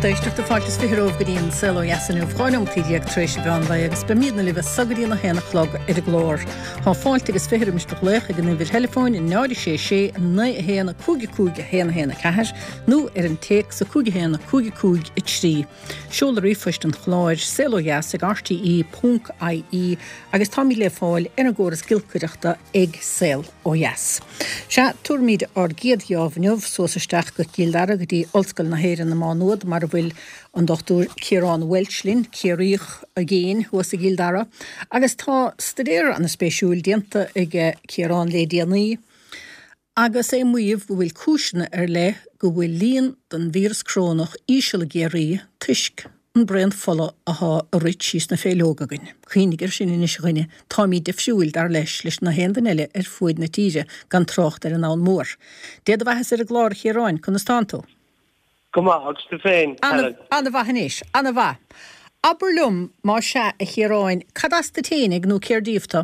Lucht éisteachta, fáilte is 20 romhaibh go dtí an Saol Ó Dheas inniu, 12 neomat tar éis an mheán lae agus beimidne libh as so go dtí an 1 a chlog ar an gclár. Tá fáilte agus 20 roimis do ghlaoch ag an uimhir theileafóin 0 6 6 9 1 5 5 1 1 4 nó ar an téacs 5 1 5 5 3. Seoladh ríomhphoist an chláir, saolodheas ag rte ponc ie agus táimid le fáil ar an gcóras giolcaireachta ag Saol Ó Dheas. Sea, tabharfaimid ár gcéad gheábh inniu suas isteach go Cill Dara go dtí Ollscoil na hÉireann i Má Nuad mar a bhfuil an Dr Ciarán Walsh linn, Ciarraíoch i gcéin thuas i gCill Dara agus tá staidéar an-spéisiúil déanta aige Ciarán le déanaí. Agus é ag maíomh go bhfuil cúiseanna ar leith go bhfuil líon den víreas corónach íseal i gCiarraí toisc an braon fola athá ag rith síos na féithleoga againn. Cuimhnigh air sin anois a dhuine, táimid difriúil, dar leis, leis na haon duine eile ar fuaid na tíre, gan trácht ar an ndomhan mór. Dé do bheathasa ar an gclár, a Chiaráin, conas tánn tú? Go maith, agus tú féin, Helen? Ana-mhaith anois, ana-mhaith. Abair liom, más ea, a Chiaráin, cad as duit fhéinig nó cér díobh tú?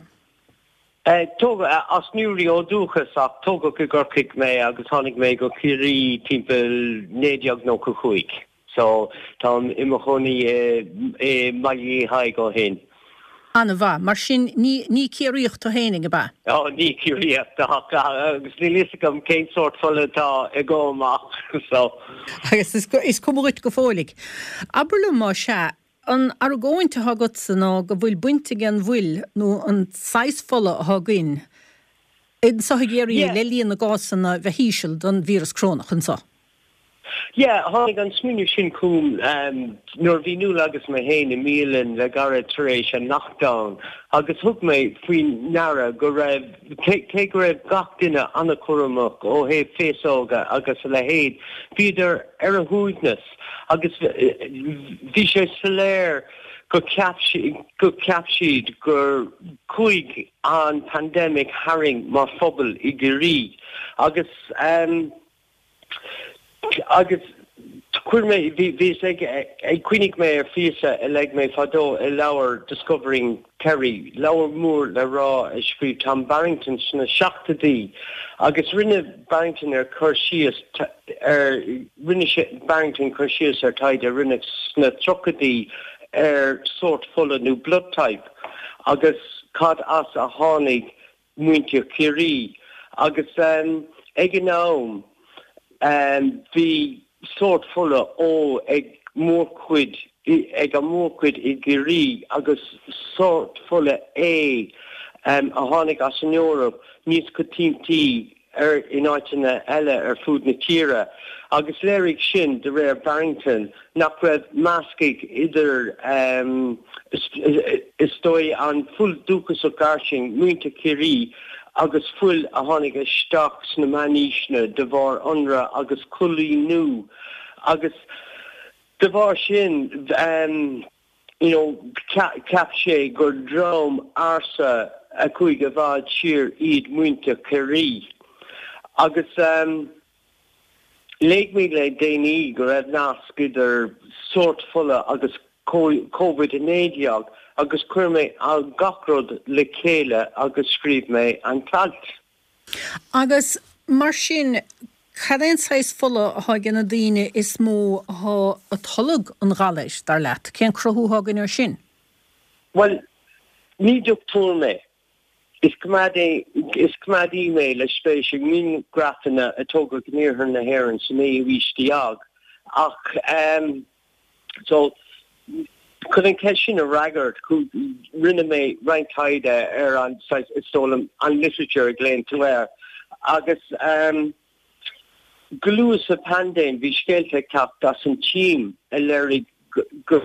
Tógadh as Newry ó dhúchas ach tógadh i gCorcaigh mé agus tháinig mé go Ciarraí timpeall 1995. So táim i mo chónaí i mBaile Uí Thaidhg ó shin. An-mhaith. Mar sin ní ní Ciarraíoch tú fhéinig, ab ea? Ó ní Ciarraíoch ach agus níl fhios agam cén sórt fola atá agam ach so. Agus is cuma dhuit go fóilligh. Abair liom más ea, An argóint atá agatsa ná go bhfuil baint ag an bhfuil nó an saghas fola atá againn anseo i gCiarraí le líon na gcásanna bheith íseal don víreas corónach anseo. Yeah, tháinig an smaoineamh sin chugam nuair a bhí Nuala agus mé féin i mbialann le gairid tar éis an lockdown agus thug mé faoi ndeara go raibh, cé go raibh gach duine an-chúramach ó thaobh féasóga agus a leithéid, bhíodar ar a shuaimhneas. Agus bhí sé soiléir go cheap go cheap siad gur chuaigh an pandemic tharainn mar phobal i gCiarraí. Agus agus chuir mé bhí bhíos ag ag cuimhnigh mé ar phíosa a léigh mé fadó i leabhar Discovering Kerry, leabhar mór le rá a scríobh Tom Barrington sna seachtóidí agus rinne Barrington ar cur síos ar rinne sé Barrington cur síos ar taighde a rinneadh sna tríochaidí ar sórt fola nó blood type agus cad as a tháinig muintir Chiarraí agus ag an am bhí sórt fola O ag mórchuid ag an mórchuid i gCiarraí agus sórt fola A a tháinig as an Eoraip níos coitiantaí ar in áiteanna eile ar fud na tíre, agus léirigh sin, de réir Barrington, nach raibh meascadh idir, is dóigh, an fuil dúchasach fhairsing, muintir Chiarraí, agus fuil a tháinig isteach sna meánaoiseanna de bharr ionradh agus coilíniú, agus de bharr sin, you know cheap sé gur dream ársa a chuaigh i bhfad siar iad muintir Chiarraí. Agus léigh mé le déanaí go raibh nasc idir sórt fola agus Covid-19 agus chuir mé gach rud le chéile agus scríobh mé an t-alt. Agus mar sin, cad é an saghas fola atá ag na daoine is mó atá ag tolg an ghalair, dar leat? Cén cruthú atá againn air sin? Bhuel, ní dochtúir mé. Is coimeádaí, is coimeádaí mé le spéis i ngrianghrafanna a tógadh in iarthar na hÉireann sa naoú haois déag. Ach ehm. So, chun an cheist sin a fhreagairt, rinne mé roinnt taighde ar an, saghas, is dóigh liom, an literature a ghlaonn tú air. Agus ehm, go luath sa phaindéim, bhí scéalta ag teacht as an tSín a léirigh go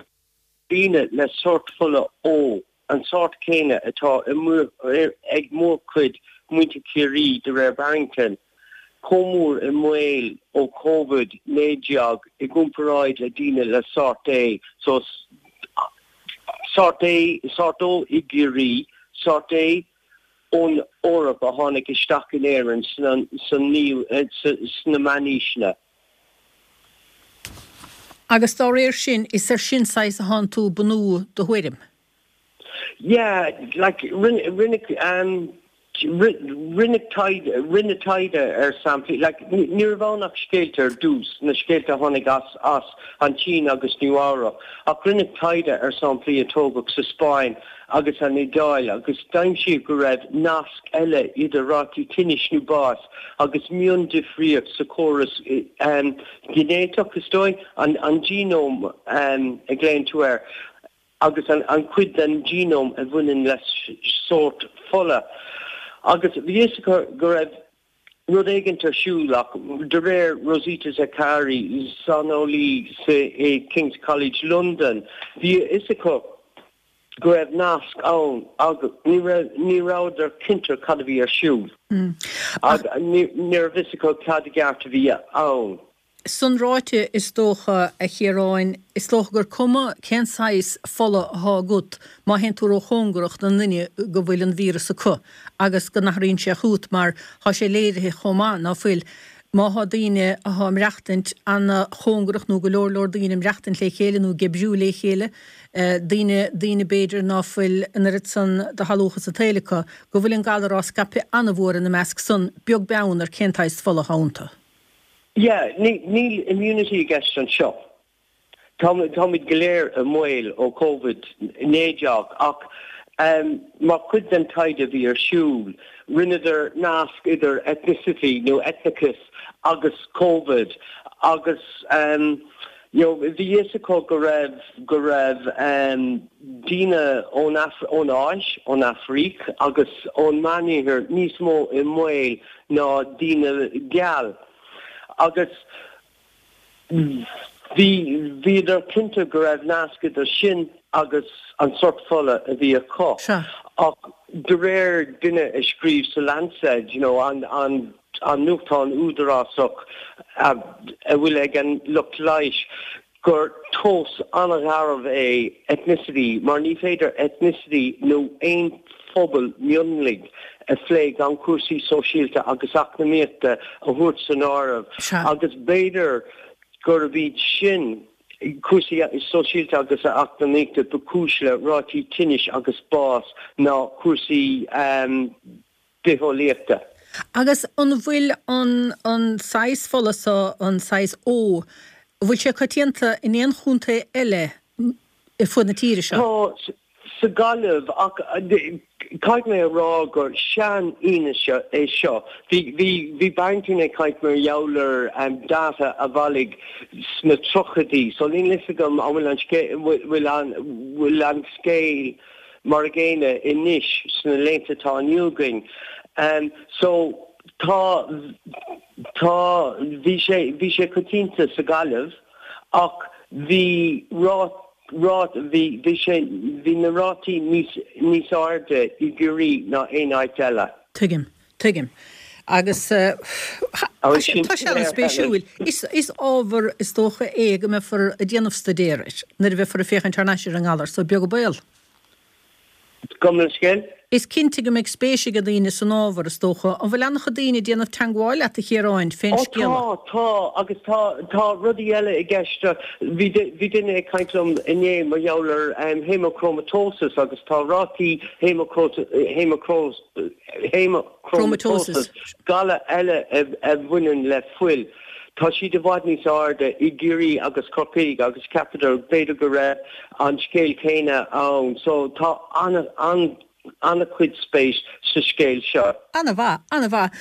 daoine le sórt fola O an sórt céanna atá ag mórchuid muintir Chiarraí de réir Barrington, chomh mór i mbaol ó Covid-19 i gcomparáid le daoine le sórt A. So, sórt A, sórt O i gCiarraí, sórt A ón Eoraip a tháinig isteach in Éirinn sna meánaoiseanna. Agus dá réir sin, is ar sin saghas atánn tú ag bunú do thuairim? Yeah, like, rinne, rinne, um. Rinneadh taighde, rinneadh taighde ar samplaí, like, ní raibh ann ach scéalta ar dtús, na scéalta a tháinig as, as an tSín agus Nua-Eabhrac, ach rinneadh taighde ar samplaí a tógadh sa Spáinn agus an Iodáil agus d'aimsíodh go raibh nasc eile idir rátaí tinnis nó báis agus miondifríocht sa chóras ginéiteach, is dóigh, an, an genome a ghlaonn tú air. agus an chuid den genome a bhaineann le sórt fola. Agus bhí fhios acu go raibh rud éigint ar siúl ach de réir Rosita Zaccari, saineolaí i King's College London, bhí a fhios acu go raibh nasc ann ach ní rabhadar cinnte cad a bhí ar siúl. Ní raibh fhios acu cad i gceart a bhí ann. San ráite, is dócha, a Chiaráin, is dócha gur cuma cén saghas fola athá agat má théann tú ró-chóngarach don nduine go bhfuil an víreas acu agus go n-athraíonn sé chugat mar thá sé léirithe chomh maith, ná fuil, má thá daoine athá ag maireachtaint ana-chóngarach nó go leor leor daoine ag maireachtaint le chéile nó ag oibriú le chéile, daoine, daoine b'fhéidir ná fuil an oiread san de shalúchas an tsaoil acu, go bhfuil an galar á scaipeadh ana-mhór ina measc san, beag beann ar cén tsaghas fola athá iontu. Yeah, níl immunity i gceist anseo. Táimid go léir i mbaol ó Covid-19 ach mar chuid den taighde a bhí ar siúl, rinneadar nasc idir ethnicity nó eitneachas agus Covid agus you know bhí fhios acu go raibh go raibh daoine ón ón Áis, ón Afraic agus ón Meánoirthear níos mó i mbaol ná daoine geal agus bhí, bhíodar cinnte go raibh nasc idir sin agus an sort fola a bhí acu. Sea. Ach de réir duine a scríobh sa Lancet, you know, an, an, an nuachtán údarásach a bhfuil ag an lucht leighis, gur tomhas an-gharbh é ethnicity mar ní féidir ethnicity nó aon phobal mionlaigh a phlé gan cúrsaí sóisialta agus eacnamaíochta a thabhairt san áireamh agus b'fhéidir gurb iad sin, cúrsaí sóisialta agus eacnamaíochta, ba chúis le rátaí tinnis agus bás ná cúrsaí bitheolaíochta. Agus an bhfuil an an saghas fola so, an saghas O, an bhfuil sé coitianta in aon chontae eile ar fud na tíre seo? Tá, sa Ghaillimh, ach caithfidh mé a rá gur sean-fhianaise é seo. Bhí, bhí, bhí Barrington ag caint mar gheall ar data a bhailigh sna tríochaidí, so níl fhios agam an bhfuil an scéal, bhfuil an, bhfuil an scéal, mar a gcéanna anois sna laethanta atá inniu againn. So tá, tá, bhí sé, bhí sé coitianta sa Ghaillimh ach bhí rá, rá, bhí, bhí sé, bhí na rátaí níos, níos airde i gCiarraí ná aon áit eile. Tuigim, tuigim. Agus tá sé, tá sé an-spéisiúil. Is, is ábhar is dócha é go mbeifear ag déanamh staidéir air nuair a bheifear ag féachaint thar n-ais ar an ngalar so, beag an baol. Gabh mo leithscéal. Is cinnte go mbeidh spéis ag daoine san ábhar, is dócha. An bhfuil an-chuid daoine ag déanamh teangmháil leat, a Chiaráin, fén Ó scéala? tá, tá, agus tá, tá rudaí eile i gceist. Bhí, bhí duine ag caint liom inné mar gheall ar haemochromatosis agus tá rátaí haemochromatosis, galar eile a bhaineann le fuil, tá siad i bhfad níos airde i gCiarraí agus Corcaigh agus cheapadar b'fhéidir go raibh an scéal céanna ann. So tá an-chuid spéis sa scéal seo. An-mhaith, an-mhaith.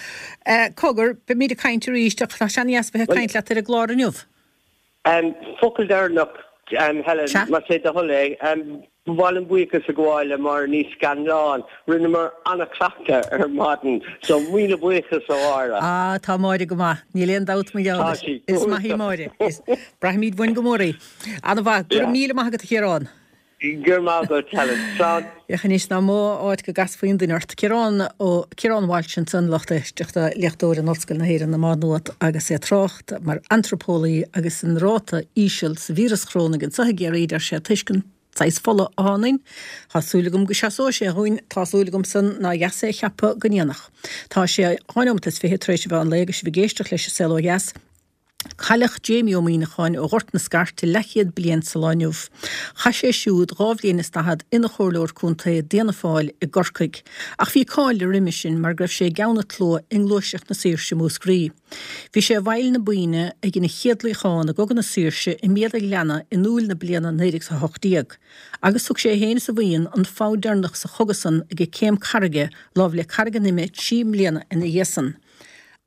Cogar, beimid ag caint arís ach tá sé an-dheas bheith ag caint leat ar an gclár inniu. Focal deireanach, Helen, más é do thoil é. Ba mhaith liom buíochas a ghabháil le Máire Ní Scanláin. Rinneamar an-chleachtadh ar maidin, so míle buíochas a Mháire. Ah, tá Máire go maith, níl aon dabht mar gheall air. Tá sí. Is maith í Máire. Braithimid uainn go mór í. An-mhaith. Go raibh míle maith agat, a Chiaráin. Go raibh maith agat, Helen. Slán. Féach anois nach mó áit go gcasfaí an duine ort. Ciarán Ó Ciarán Walsh ansan, lucht éisteachta, léachtóir in Ollscoil na hÉireann i Má Nuat agus é ag trácht mar antraipeolaí agus an ráta íseal sa víreas chorónaigh anseo i gCiarraí, deir sé, toisc an saghas fola athá ionainn. Tá súil agam go seasóidh sé dhúinn, tá súil agam san nár dheas é a cheapadh go ndéanfadh. Tá sé 2 neomat is 20 tar éis an mheán lae agus sibh ag éisteacht leis An Saol Ó Dheas. Cailleadh Jamie Ó Muíneacháin ó Ghort na Scairte leathchéad bliain sa lá inniu. Chaith sé siúd 42 bhliain is ina chomhairleoir contae d'Fhianna Fáil i gCorcaigh. Ach bhí cáil air roimhe sin mar go raibh sé i gceann an tslua i nGluaiseacht na Saoirse Múscraí. Bhí sé i bhfeighil na buíne a dhein an chéad luíochán i gCogadh na Saoirse i mBéal an Ghleanna in Iúil na bliana 1918. Agus thug sé féin is a bhuíon an fogha deireanach sa chogadh san ag Céim Carraige láimh le Carraig an Ime 3 mbliana ina dhiaidh san.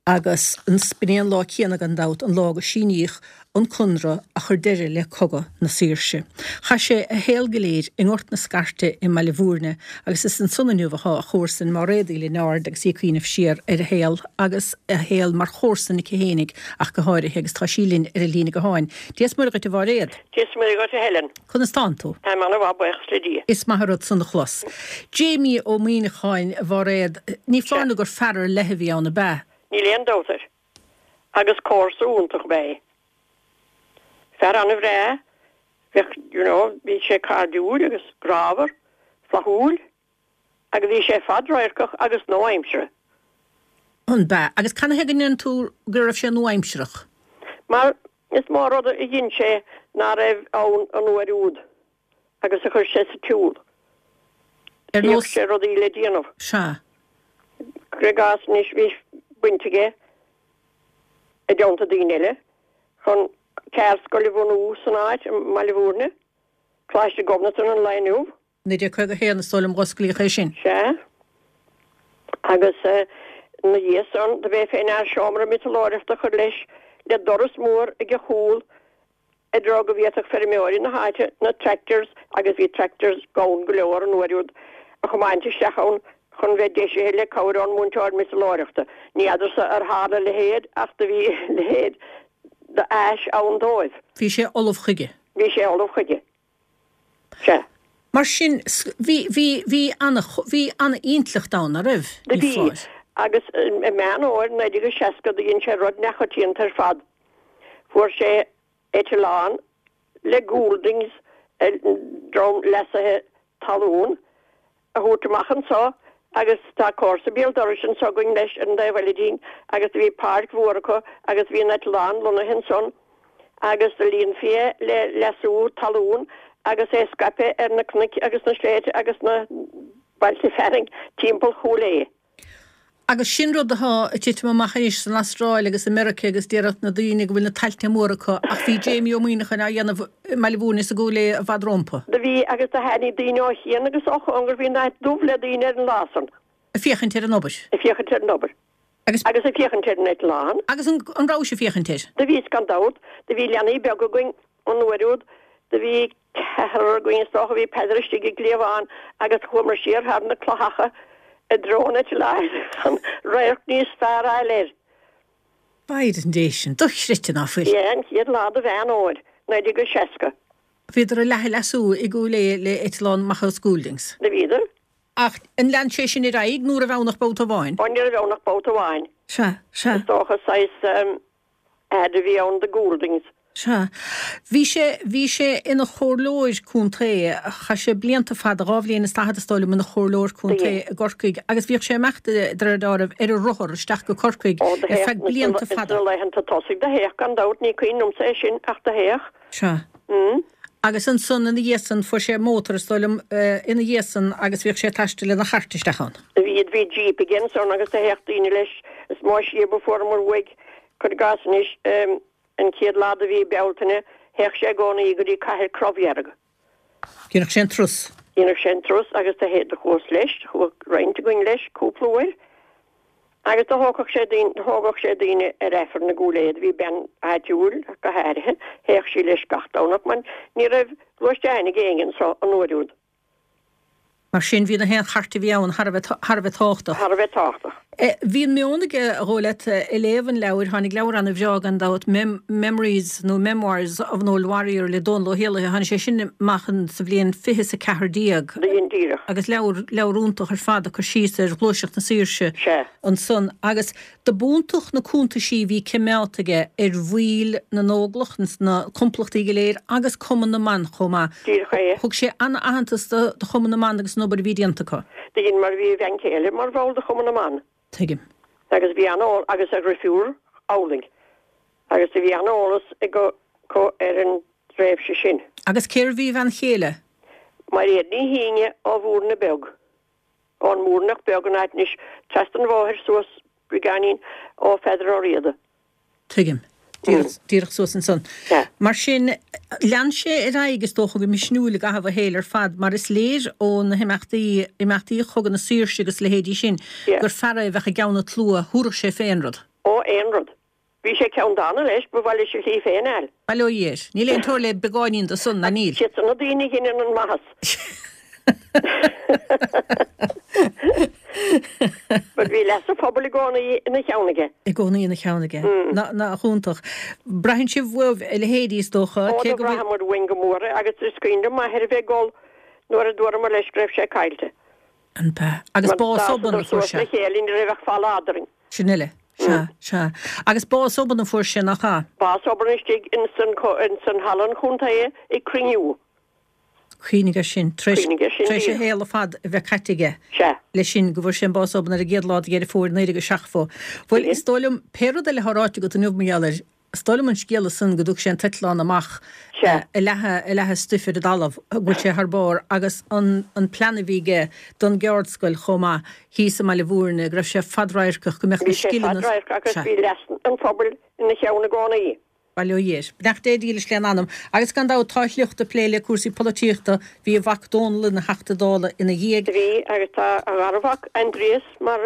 Agus b'in é an lá céanna, gan dabht, an lá go síníodh an Conradh a chuir deireadh le Cogadh na Saoirse. Chaith sé a shaol go léir i nGort na Scairte i mBaile Bhúirne agus is ansan inniu atá a chomharsain Máiréad Uí Lionáird agus í ag cuimhneamh siar ar a shaol agus a shaol mar chomharsan aici fhéinig ach go háirithe agus tá sí linn ar an líne gutháin. Dia is Muire dhuit a Mháiréad. Dia is Muire dhuit a Helen. Conas tánn tú? Táim ana-mhaith, buíochas le Dia. Is maith an rud san a chlos. Jamie Ó Muíneacháin, a Mháiréad, ní foláir nó gur fear ar leith a bhí ann, ab ea? Níl aon dabht air. Agus comharsa iontach ab ea é. Fear ana-bhreá, bheadh, you know, bhí sé cairdiúil agus grámhar, flaithiúil agus bhí sé fadradharcach agus nua-aimseartha. An b'ea? Agus canathaobh go ndeireann tú go raibh sé nua-aimsearach? Mar Is mó rud a dhein sé ná raibh ann an uair úd agus a chuir sé sa tsiúl. Ar Bhíodh nós. sé rudaí le déanamh. Sea. Cuir i gcás anois bhí baint aige, i dteannta daoine eile, chun ceardscoil a bhunú san áit, i mBaile Bhúirne, Coláiste Ghobnatan an lae inniu. 1951 is dóigh liom dh'osclaíodh é sin. Sea. Agus ina dhiaidh san, do b'é fé ndear seomra miotalóireachta a chur leis, le doras mór ag a chúl i dtreo go bhféadfadh feirmeoirí na háite na tractors, agus bhí tractors gann go leor an uair úd, a chomáint isteach ann chun bheith deisithe le cabhair ón múinteoir miotalóireachta. Ní fheadarsa ar tharla a leithéid ach do bhí a leithéid d'áis ann dóibh. Bhí sé ullamh chuige. Bhí sé ullamh chuige. Sea. Mar sin, bhí, bhí, bhí ana, bhí ana-intleacht ann, a' raibh? Do Ní bhí. foláir. Agus i Meán Fhómhair 1960 do dhein sé rud neachoitianta ar fad. Fuair sé eitleán le Gouldings, dream leasaithe talún, a thabhairt amach anso agus tá comharsa béal dorais anso againn leis ar an dtaobh eile dínn agus do bhí páirc mhór acu agus bhí an eitleán lonnaithe ansan agus do líonfaí é le leasú talún agus é scaipthe ar na cnoic agus na sléibhte agus na bailte fearainn timpeall Chúil Aodha. Agus sin rud atá ag titim amach anois san Astráil agus i Meirice agus déarfadh na daoine go bhfuil na tailte móra acu ach bhí Jamie Ó Muíneacháin á dhéanamh i mBaile Bhúirne is i gCúil Aodha i bhfad rómpa. Do bhí agus do tháinig daoine ó chian agus ó chóngar, bhí an áit dubh le daoine ar an lá san. Ag féachaint ar an obair. Ag féachaint ar an obair. Agus. Agus ag féachaint ar an eitleán. Agus an rabhais ag féachaint air? Do bhíos gan dabht. Do bhí leanaí beaga againn an uair úd. Do bhí ceathrar againn is dócha, bhí Peadar istigh i gcliabhán agus chuamar siar thar na cloicheacha i dtreo an eitleáin chun radharc níos fearr a fháil air. B'fhéidir an dé sin, dochreidte ná fuil. Yeah, an chéad lá de Mheán Fhómhair, 1960. Bhíodar ag leathadh leasú i gCúil Aodha le eitleán amach as Gouldings. Do bhíodar. Ach an lean sé sin ar aghaidh nó raibh ann ach babhta amháin? Ó ní raibh ann ach babhta amháin. Sea, sea. Is dócha saghas ad a bhí ann do Gouldings. Sea. Bhí sé, bhí sé ina chomhairleoir contae, chaith sé blianta fada, 42 bhliain is is dóigh liom, ina chomhairleoir contae i gCorcaigh agus bhíodh sé ag imeacht, de réir dealraimh, ar a rothar isteach go Corcaigh Ó, do ar théadh, feadh blianta fada. sna laethanta tosaigh do théadh gan dabht, ní cuimhin liomsa é sin ach do théadh. Sea. Mm. Agus ansan ina dhiaidh san fuair sé mótar is dóigh liom ina dhiaidh san agus bhíodh sé ag taisteal lena chairt isteach ann. Bhí, bhí jeep aige ansan agus do théadh daoine leis, is mó síob a fuaireamar uaidh, cuir i gcás anois, an chéad lá de mhí Bealtaine, théadh sé i gcónaí go dtí Cathair Crobhdhearg. Dhéanadh sé an turas. Dhéanadh sé an turas agus do théadh, do chuas leis, do chuaigh roinnt againn leis cúpla uair. Agus do thógfadh sé daoine, do thógadh sé daoine ar Aifreann i gCúil Aodha, do bhí bean áitiúil ach go háirithe, théadh sí leis gach Domhnach mar ní raibh gluaisteáin ag éinne anso an uair úd. Mar sin, bhí na haon chairt a bhí ann thar a bheith, thar a bheith tábhachtach. Thar a bheith tábhachtach. Bhí an meon aige, a dhóigh leat, ag léamh an leabhair, tháinig leabhar ana-bhreá gan dabht, Memories nó Memoirs of an Old Warrior le Dónal Ó hÉallaithe, tháinig sé sin amach sa bhliain fiche is a 14. Do dhein díreach. Agus leabhar, leabhar iontach ar fad ag cur síos ar Ghluaiseacht na Saoirse Sea. ansan. Agus do b'iontach na cuntaisí a bhí cimeádta aige ar bhaill na nÓglach, na complachtaí go léir agus Cumann na mBan chomh maith. Díreach é. Thug sé ana-aitheantas do Chumann na mBan agus an obair a bhí déanta acu. Do dhein mar bhí a bhean chéile mar bhall de Chumann na mBan. Tuigim. Agus bhí ana-, agus a dhrifiúr amhlaidh. Agus do bhí an-eolas acu ar an dtréimhse sin. Agus cérbh í a bhean chéile? Mairéad Ní Shíne ó Mhúrna Beag. Ón Mhúrnach Beag an áit anois trasna an bhóthair suas beagáinín ó Pheadar Ó Riada. Tuigim. Díreach suas ansan. Mar sin, lean sé ar aghaidh, is dócha, go misniúil i gcaitheamh a shaoil ar fad, mar is léir ó na himeachtaí, imeachtaí Chogadh na Saoirse agus a leithéidí sin, gur fear é a bheadh i gceann an tslua, thabharfadh sé fé aon rud. Ó, aon rud. Bhí sé ceanndána leis, ba mhaith leis a shlí féin a fháil. Bail ó Dhia air. Níl aon teora le beagáinín de san, ná níl. Siad san na daoine a dheineann an maitheas. But bhí leas an phobail i gcónaí ina cheann aige. I gcónaí ina cheann aige. Nach iontach. Braitheann sibh uaibh a leithéidí, is dócha, Ó, do bhraitheamar uainn go mór é agus is cuimhin liom m'athair a bheith ag gol nuair a dúramar leis go raibh sé caillte. An b'ea? Agus bás obann a fuair sé. Mar d'fhásadar suas le chéile, ní raibh ach falla eadrainn. Sin uile. Sea, sea. Agus bás obann a fuair sé, nach ea? Bás obann istigh ins an halla an chontae ag cruinniú. Cuimhnigh air sin. Tar éis, tar éis a shaol ar fad a bheith caite aige. Sea. Leis sin, go bhfuair sé an bás obann ar an gcéad lá de Dheireadh Fómhair 1970. Bhuel, is dóigh liom, pé rud eile atá ráite agat inniu mar gheall air, Is dóigh liom an scéala san go dtug sé an t-eitleán amach ag leathadh, ag leathadh stuif ar an dtalamh, go bhfuil sé thar barr agus an, an plean a bhí aige don gceardscoil chomh maith thíos i mBaile Mhúirne, go raibh sé fadradharcach, go mbeadh na Bhí sé scileanna, fadradharcach agus sea. bhí leas an phobail ina cheann i gcónaí. Bail ó Dhia air. Beannacht Dé dílis lena anam. Agus gan dabht tá a shliocht ag plé le cúrsaí polaitíochta, bhí a mhac Dónal ina Theachta Dála ina dhiaidh. Bhí, agus tá a gharmhac Aindrias mar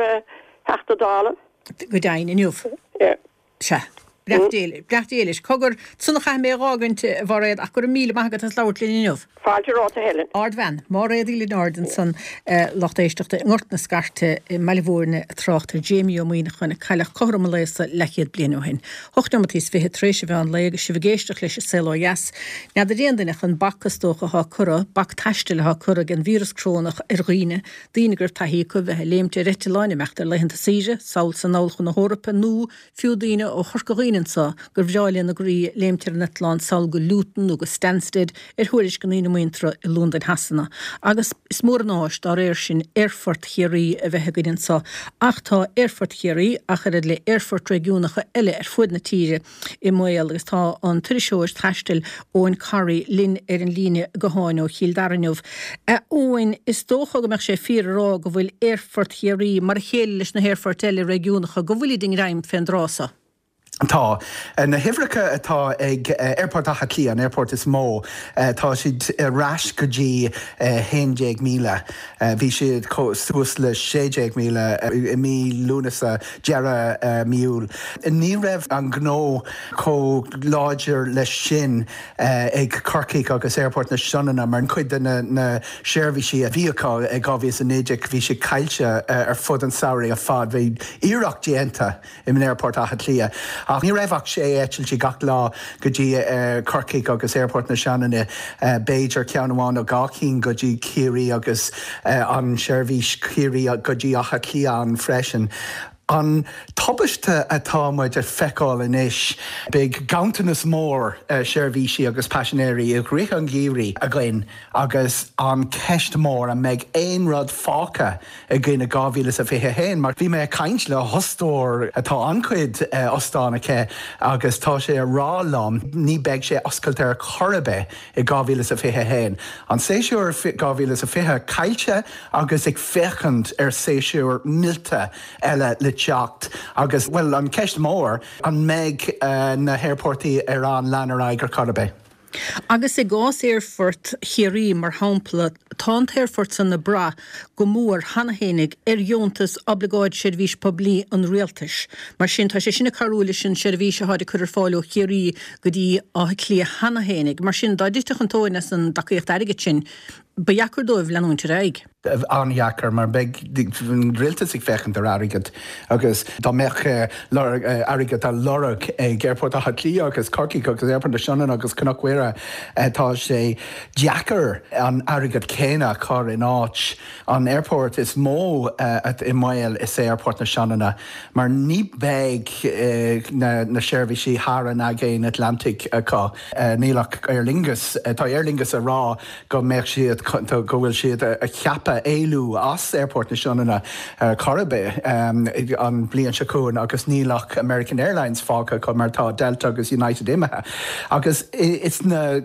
Theachta Dála. Go deimhin, inniu. Yeah. Sea. Beannacht Dé, beannacht Dé leis. Cogar, san a chaithfidh mé a dh'fhágaint, a Mháiréad, ach go raibh míle maith agat as labhairt linn inniu. Fáilte romhat, a Helen. Ardbhean. Máiréad Uí Lionáird ansan, lucht éisteachta i nGort na Scairte i mBaile Mhúirne ag trácht ar Jamie Ó Muimhneacháin a cailleadh cothrom an lae so leathchéad bliain ó shin. Hocht neomat is fiche tar éis an mheán lae agus sibh ag éisteacht leis an Saol Ó Dheas. N'fheadar aon duine ach an bac is dócha atá curtha, bac taistil atá curtha ag an víreas crónach ar dhaoine, daoine go raibh taithí acu bheith ag léimt ar eitleáin, imeacht ar laethanta saoire, sall 's anall chun na hEorpa nó fiú daoine ó Chorca Dhuibhne anso gur bhreá lena gcroí léimt ar an eitleán sall go Luton nó go Stansted ar thuairisc a ndaoine muinteartha i Londain Shasana. Agus is mór an áis dá réir sin Aerfort Chiarraí a bheith againn anso. Ach tá Aerfort Chiarraí, ach oiread le aerfoirt réigiúnacha eile ar fuaid na tíre, i mbaol agus tá an t-iriseoir taistil Eoghan Corry linn ar an líne gutháin ó Chill Dara inniu. A Eoghain, is dócha go mbeadh sé fíor a rá go bhfuil Aerfort Chiarraí, mar a chéile leis na haerfoirt eile réigiúnacha, go bhfuilid i ngreim fén dtráth so. Tá. Na huimhreacha atá ag Aerfort Átha Cliath, an aerfort is mó, tá siad ar ais go dtí 11,000. Bhí siad suas le 16,000 i mí Lúnasa, deireadh mí Iúil. Ní raibh an gnó chomh láidir leis sin ag Corcaigh agus Aerfort na Sionainne mar cuid de na seirbhísí a bhí acu i 2019 bhí siad caillte ar fud an tsamhraidh ar fad. Bhí iarracht déanta in Aerfort Átha Cliath ach ní raibh ach sé eitiltí gach lá go dtí Corcaigh agus Aerfort na Sionainne, b'fhéidir ceann amháin nó dhá chinn go dtí Ciarraí agus an seirbhís Ciarraí go dtí Áth Cliath ann freisin. An tubaiste atá muid ag feiceáil anois, beidh ganntanas mór seirbhísí agus paisinéirí i rith an gheimhridh againn agus an ceist mór an mbeidh aon rud fágtha againn i 2021 mar bhí mé ag caint le hostóir atá an-chuid ostán aici agus tá sé a rá liom ní beidh sé oscailte ar chor ar bith i 2021. An séasúr 2020 caillte agus ag féachaint ar séasúr millte eile le teacht agus, bhuel, an ceist mór, an mbeidh na haerportaí ar an lean ar aghaidh ar chor ar bith? Agus i gcás aerfort Chiarraí, mar shampla, tá an t-aerfort san ag brath go mór cheana fhéinig ar dheontas Oibleagáid Seirbhís Poiblí an Rialtais. Mar sin, tá sé sin ag cabhrú leis an seirbhís atáid ag cur ar fáil ó Chiarraí go dtí Áth Cliath cheana fhéinig. Mar sin, dá dtitfeadh an tóin as an dtacaíocht airgid sin, ba dheacair dóibh leanúint ar aghaidh. an-dheacair mar beidh an rialtas ag féachaint ar airgead agus dá mbeadh airgead á lorg ag Aerfort Átha Cliath agus Corcaigh agus Aerfort na Sionainne agus Cnoc Mhuire tá sé deacair an airgead céanna a chur in áit an aerfort is mó i mbaol is é Aerfort na Sionainne mar ní beidh na seirbhísí thar an Aigéan Atlantaigh acu. Níl ach Aer Lingus, tá Aer Lingus a rá go mbeadh siad, go bhfuil siad a cheapadh. tapa éalú as Aerfort na Sionainne ar chor ar bith an bhliain seo chugainn agus níl ach American Airlines fágtha acu mar tá Delta agus United imithe. Agus sna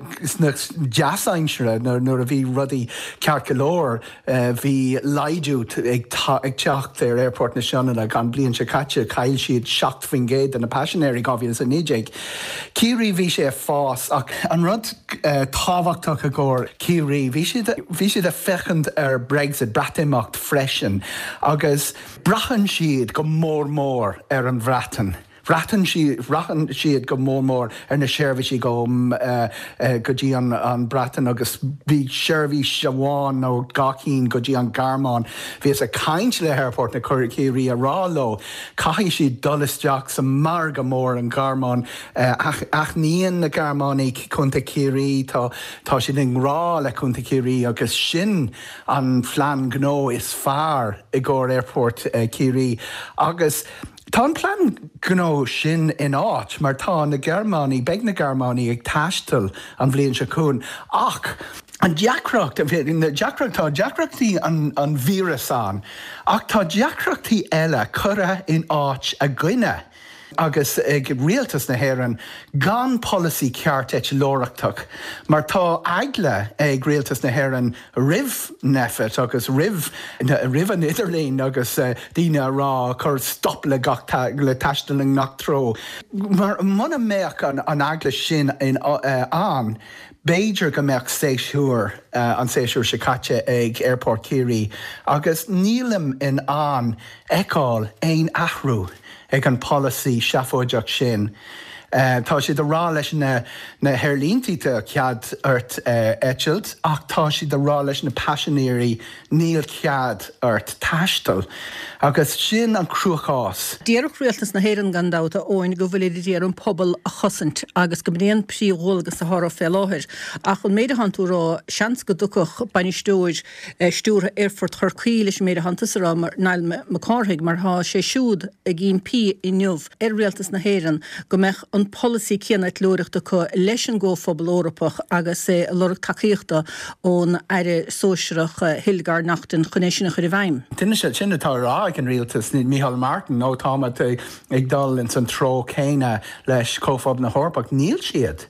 deas-aimsire nuair a bhí rudaí ceart go leor bhí laghdú ag teacht ar Aerfort na Sionainne an bhliain seo caite chaill siad 7% de na paisinéirí 2019. Ciarraí bhí sé ag fás ach an rud tábhachtach i gcomhair Ciarraí bhí siad bhí siad ag féachaint ar Brexit, Breatimeacht freisin agus braitheann siad go mór mór ar an Bhreatain. Braitheann siad, braitheann siad go mór mór ar na seirbhísí go go dtí an an Breatain agus bhí seirbhís amháin nó dhá cinn go dtí an Ghearmáin. Bhíothas ag caint le hAerfort na Ciarraí a rá leo caithfidh siad dul isteach sa margadh mór an Ghearmáin. Aithníonn na Gearmánaigh Contae Chiarraí, tá tá siad i ngrá le Contae Chiarraí agus sin an phlean gnó is fearr i gcomhair Aerfort Chiarraí agus Tá an plean gnó sin in áit mar tá na Gearmánaigh, beidh na Gearmánaigh ag taisteal an bhliain seo chugainn ach an deacracht, na deacracht, tá deacrachtaí an an víreas ann ach tá deacrachtaí eile curtha in áit againne agus ag rialtas na hÉireann gan polasaí ceart eitleoireachtach mar tá eagla ag rialtas na hÉireann roimh Nphet agus roimh roimh an idirlíon agus daoine a rá cuir stop le gach le taisteal i ngach treo. Mar muna mbeadh an an eagla sin in ann b'fhéidir go mbeadh séasúr an séasúr seo caite ag Aerfort Chiarraí agus nílim in ann fheiceáil aon athrú ag an polasaí seafóideach sin. Tá siad a rá leis na na haerlíntí tá cead ort eitilt ach tá siad a rá leis na paisinéirí níl cead ort taisteal. Agus sin an cruachás. Déarfadh Rialtas na hÉireann gan dabht, a Eoin, go bhfuilid ag iarraidh an pobal a chosaint agus go mb'in é an príomhdhualgas atá orthu fé láthair. Ach an méid atánn tú a rá, seans go dtiocfadh bainisteoir stiúrtha Aerfort Chorcaí leis an méid atánn tusa a rá, Niall Mac Cárthaigh, mar tá sé siúd ag impí inniu ar Rialtas na hÉireann go mbeadh an polasaí céanna eitleoireachta acu leis an gComhphobal Eorpach agus é ag lorg tacaíochta ón Aire Sóisearach Hildegarde Naughton chun é sin a chur i bhfeidhm. Sin atá á rá ag an Rialtas, Micheál Martin, ó táimid ag dul ins an treo céanna leis Comhphobal na hEorpach. Níl siad.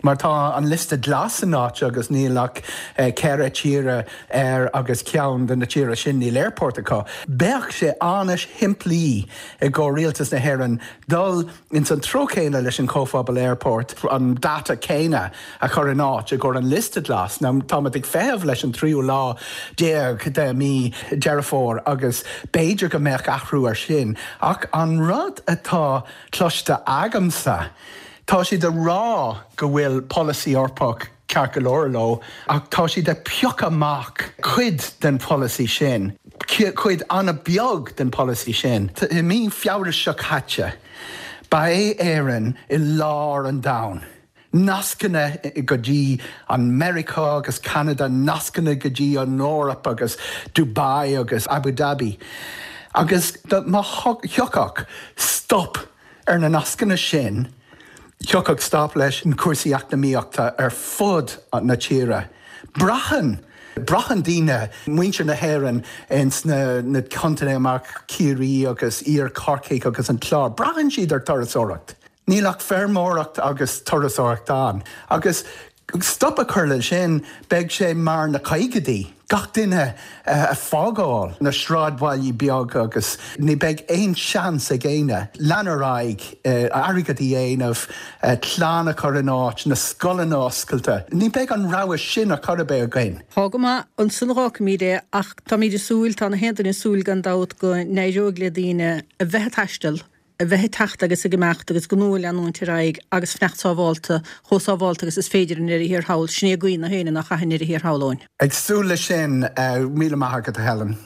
Mar tá an liosta glas in áit agus níl ach 4 tíre air agus ceann de na tíortha sin níl aerport acu. Bheadh sé an-shimplí i gcomhair rialtas na hÉireann dul ins an treo céanna leis an Chomhphobal Aerport, an dáta céanna a chur in áit i gcomhair an liosta glas. Now táimid ag feitheamh leis an tríú lá déag de mí Deireadh Fómhair agus b'fhéidir go mbeadh athrú ar sin. Ach an rud atá cloiste agamsa, Tá siad ag rá go bhfuil polasaí Eorpach ceart go leor leo ach tá siad ag piocadh amach cuid den pholasaí sin, cuid an-bheag den pholasaí sin. I mí Feabhra seo caite, ba é Éirinn i lár an domhain. Nascanna go dtí an Meiriceá agus Ceanada, nascanna go dtí an Eoraip agus Dubai agus Abu Dhabi. Agus má thiocfadh stop Ar na nascanna sin, thiocfadh stop leis na cúrsaí eacnamaíochta ar fud na tíre. Braitheann braitheann daoine, muintir na hÉireann ins na na contaetha mar Ciarraí agus Iar Chorcaigh agus an Clár, braitheann siad ar turasóireacht. Níl ach feirmeoireacht agus turasóireacht ann. Agus Stop a chur le sin, beidh sé mar na caogaidí, gach duine ag fágáil na sráidbhailí beaga agus ní beidh aon seans ag éinne lean ar aghaidh, airgead a dhéanamh, clann a chur in áit, na scoileanna oscailte. Ní beidh an rogha sin ar chor ar bith againn. Tá go maith, ansan a dh'fhágfaimíd é ach táimíd ag súil, tá na haon duine ag súil gan dabht go n-éireoidh le daoine a bheith ag taisteal, a bheith ag teacht agus ag imeacht agus gnó a leanúint ar aghaidh agus fanacht sábhálta, chomh sábhálta agus is féidir i ndeireadh thiar thall. Sin é a guí na héinne nach chaith i ndeireadh thiar thall, Eoin. Ag súil leis sin. Míle maith agat, a Helen.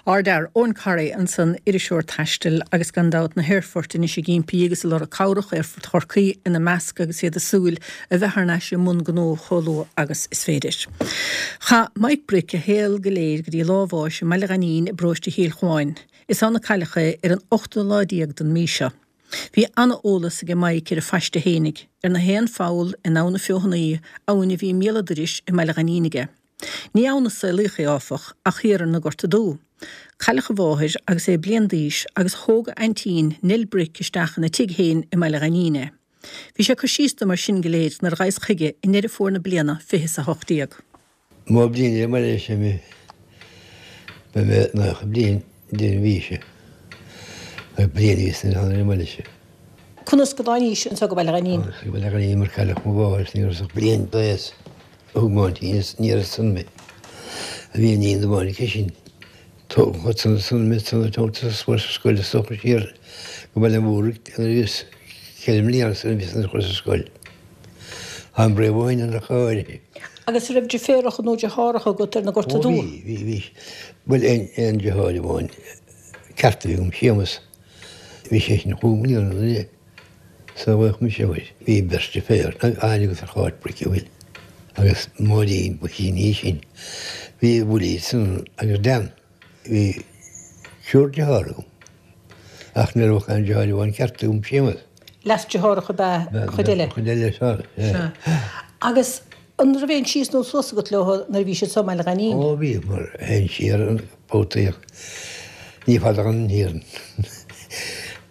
Ardfhear, Eoin Corry ansan, iriseoir taistil agus gan dabht na haerfoirt anois ag impí agus ag lorg cabhrach, Aerfort Chorcaí ina measc agus iad ag súil a bheith thar n-ais i mbun gnó chomh luath agus is féidir. Chaith Mike Brick a shaol go léir go dtí lá a bháis i mBaile Ghainín i bparóiste Chill Chuáin. Is ann a cailleadh é ar an ochtú lá déag den mí seo. Bhí ana-eolas aige Mike ar a phaiste fhéinig, ar na haon pholl in Abha na Feothanaí, abhainn a bhí i mbéal a' dorais i mBaile Ghainín aige. Ní ann a saolaíodh é, áfach, ach thiar ar na Gorta Dubha. Cailleadh a mháthair agus é bliain d'aois agus thóg a aintín, Nell Bric, isteach ina tigh féin i mBaile Ghainín é. Bhí sé ag cur síos dom ar sin go léir nuair a ghabhas chuige i nDeireadh Fómhair na bliana 2018. Má bliain ar an mbaile sin mé, beidh mé 90 bliain deireadh an mhí seo. Beidh bliain a bhíos ar an mbaile seo. Conas go dtáinís anso go Baile Ghainín? Thánas go Baile Ghainín mar cailleadh mo mháthair is ní rabhas ach bliain d'aos. Thug m'aintín aniar ansan mé. A bhí iníon amháin aici sin. Tógadh ansan ansan mé ansan a tógtha sa sa scoil is dócha siar go Baile an Mhúraigh nuair a bhíos ceithre mbliana is a bhíos ina chur sa scoil. Táim réidh ó shin ach go háirithe. Agus an raibh deirféaracha nó deartháireacha agat ar na Gorta Ó Dubha? bhí, bhí, bhí. Bhuel aon, aon deartháir amháin ceart a bhí agam, Séamus. Bhí sé sin chúig mbliana nuair a saolaíodh mise uair. Bhí beirt deirféar, Áine agus ar Cháit Bric a bhfuil. Agus Máirín ba shine í sin. Bhí Willie san agus Dan. Bhí triúr deartháir agam. Ach ní raibh ach aon deartháir amháin ceart agam, Séamus. Leas-deartháireacha ab ea an chuid eile? An chuid eile, sea. Sea. Agus an raibh aon síos nó suas agat leo nuair a bhí siad so i mBaile Ghainín? Ó bhí, mar théinn siar an babhtaí ach ní fada an thiar.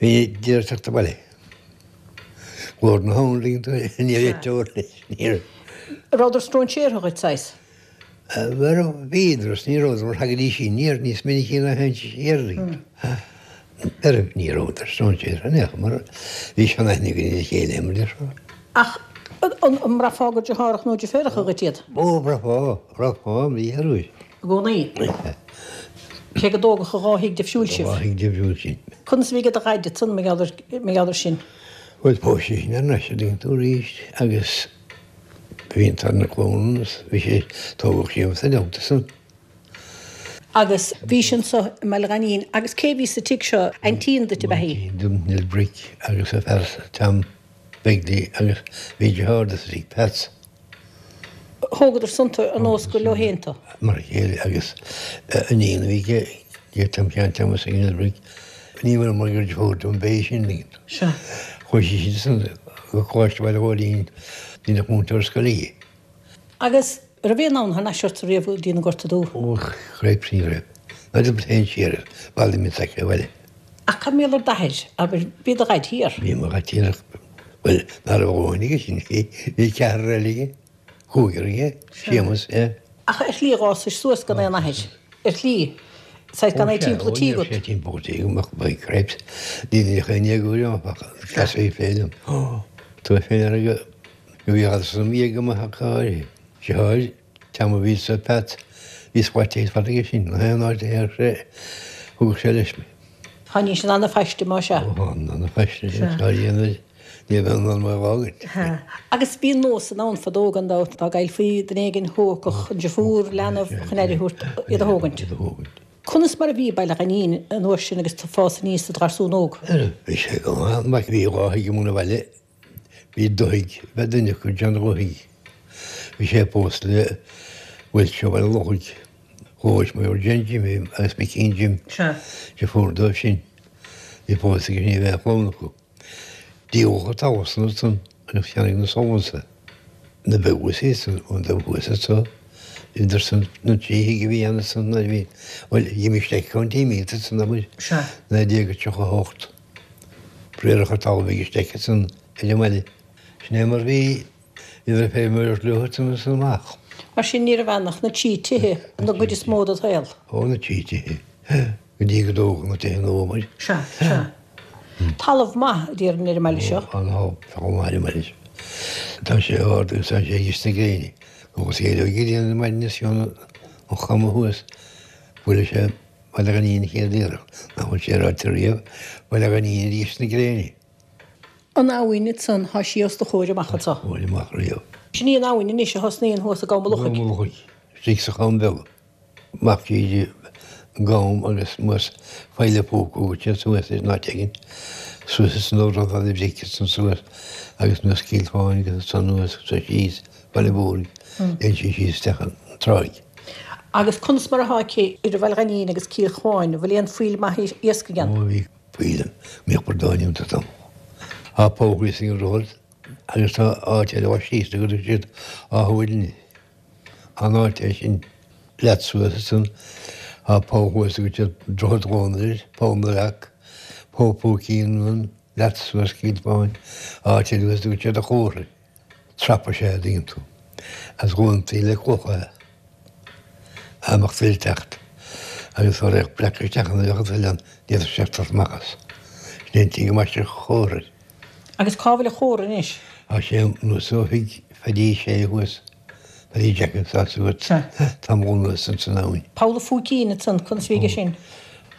Bhí d'iarraidh teacht abhaile. Glór na habhann, ligeann tú, ní raibh teora leis, ní raibh. Rabhadar stróinséartha dhuit, saghas? Bhuel, bhíodar is ní rabhadar mar thagaidís aniar níos minicí ná théinnse siar. Bhuel, ní rabhadar stróinséartha in aon chor mar bhí seanaithne againn ar a chéile mar déarfá. Ach an mbraithfeá gur deartháireacha nó deirféaracha dhuit iad? Ó, bhraithfeá, bhraithfeá, bhí ar. I gcónaí? Cé go dtógadh i dhá thigh difriúil sibh? Dhá thigh difriúil sinn. Conas a bhí ag do dhaid ansan mar gheall ar, mar gheall ar sin? Bhuel, phós sé sin thar n-ais, a dtuigeann tú, arís agus. Bhí an tarna clann agus bhí sé tógadh Séamus ina theannta san. Agus bhí sé anso i mBaile Ghainín agus cé bhí sa tigh seo? Aintín duit ab ea í? Aintín dom, Nell Bric agus a fear Tom Begley agus bhí deartháir di sa tigh, Peats. Thógadar san tú ar nós gur leo féin tú? Mar a chéile agus iníon a bhí ag Tom Sheáin Thomas ag Nell Bric. Ní mar gur deirfiúr dom ab ea í sin. Sea. Chuaigh sí sin go Coláiste Bhaile Ghóilín, deineadh múinteoir scoile dhi. Agus raibh aon fhonn thar n-ais ort riamh go dtí na Gorta Dubha? Ó, cripes ní raibh. Ná d'fhéadfadh féin siar ar bhaile mé s'aici abhaile. Ach cad mar gheall ar d'athair, abair, bhí do dhaid thiar? Bhí mo dhaid thiar ach, bhuel, ná raibh a dhóthain aige sin, bhí ceathrar eile aige. Cúigear aige, Séamus, é. Ach ar shlí dh'fhásais suas gan aon athair, ar shlí, saghas gan é timpeall an tí agat. Ó, sé timpeall an tí agam ach by cripes, ní bhíodh aon éagóir ann ach cleasaí féin liom. Tá mé féin ar go bhí fhad san bhí ag go maith ach go háirithe. Deartháir, Tom a bhí sa Pat, bhí scaití fada aige sin, gach aon áit a théadh sé, thugadh sé leis mé. Tháinig sin ana-phaiste, más ea. Ó, tháinig ana-phaiste, tá a dhéanamh. Ní bheinn in ann mé a fhágaint. Agus bhí nós ann fadó gan dabht, dá gcaillfí duine éigin thógfadh an deirfiúr leanbh chun aire a thabhairt iad a thógaint. Conas mar a bhí Baile Ghainín an uair sin agus tú ag fás aníos i do gharsún óg? Bhí sé go maith. Mar bhí dhá thigh amuigh 'na bhaile. Bhí Dubhthaigh, bhí duine acu, John Dhubhthaigh. Bhí sé pósta le Welch ó Bhaile Lochaigh. Chomhair Mayor Jen Jimmy agus Mickeen Jim. Deirfiúr dóibh sin. Bhí pósta aige ní bheadh clann acu. Díoladh an talamh san ansan agus cheannaigh na Sullivans é. Na beag thuas ansan, an dubh thuas anso, idir san na trí thigh a bhí ann ansan nuair a bhí, bhuel, d'imigh Steic County mílte ansan abair, 1938. Bréarach an talamh ag Steic ansan ar an mbaile. Sin é mar bhí, ní raibh feirmeoireacht leo ansan ansan amach. Mar sin ní raibh ann ach na trí tithe an gcuid is mó dod shaol. Ó, na trí tithe. Go dtí go dtógadh na tithe nua muid. Sea, sea. Talamh maith, a déarfainn, ar an mbaile seo. Ó, an-talamh, talamh maith ar an mbaile seo. Tá sé ard agus tá sé i gceist na gréine. Agus éireoidh an ghrian ar maidin is an chama thuas, buailfidh sé Baile Ghainín an chéad iarracht, nach bhfuil sé ráite riamh, Baile Ghainín i gceist na gréine. An abhainn ansan, thá sí os do chomhair amach anso. Os mo chomhair amach riamh. Sin í an abhainn anois a thosnaíonn thuas i gCom an Lochaigh. Gcom an Lochaigh, istigh sa Cham Beag. Amach tríd an gCam agus anuas Faill an Phúca agus siar suas ar an áit éigin, suas is an rud fada bhric is an suas agus anuas Cill Chuáin agus ansan anuas agus síos Baile Mhúirne, léim sí síos isteach an tráigh. Agus conas mar atá aici idir Bhaile Ghainín agus Cill Chuáin, an bhfuil aon phoill maith iascaigh ann? Ó bhí poill ann, bhíodh bradáin iontu tamall. Tá poll thíos ag an droichead agus tá áit eile síos go dtug siad Áth Mhuirne. An áit é sin leat suas ansan tá poll thuas a dtugann siad Droichead Dhónaill air, Poll na Leac, Poll Phúicín ann, leat suas cíd fáin, áit eile thuas a dtugann siad an Chomhra air. Trap is ea a dtuigeann tú. Agus dhúntaí le clocha é. Dá mbeadh tuile ag teacht agus dá raghadh breac isteach ann bheadh an tuile ann, ní fhéadfadh sé teacht amach as. Sin é an tslí gur baisteadh an Chomhra air. Agus cá bhfuil an Chomhra anois? Tá sé anuas ó thigh Phaidí Sé thuas, Paddy Jack tá a fhios agat, tamall anuas ins an abhainn. Poll an Phúicín ansan, conas a bhí aige sin?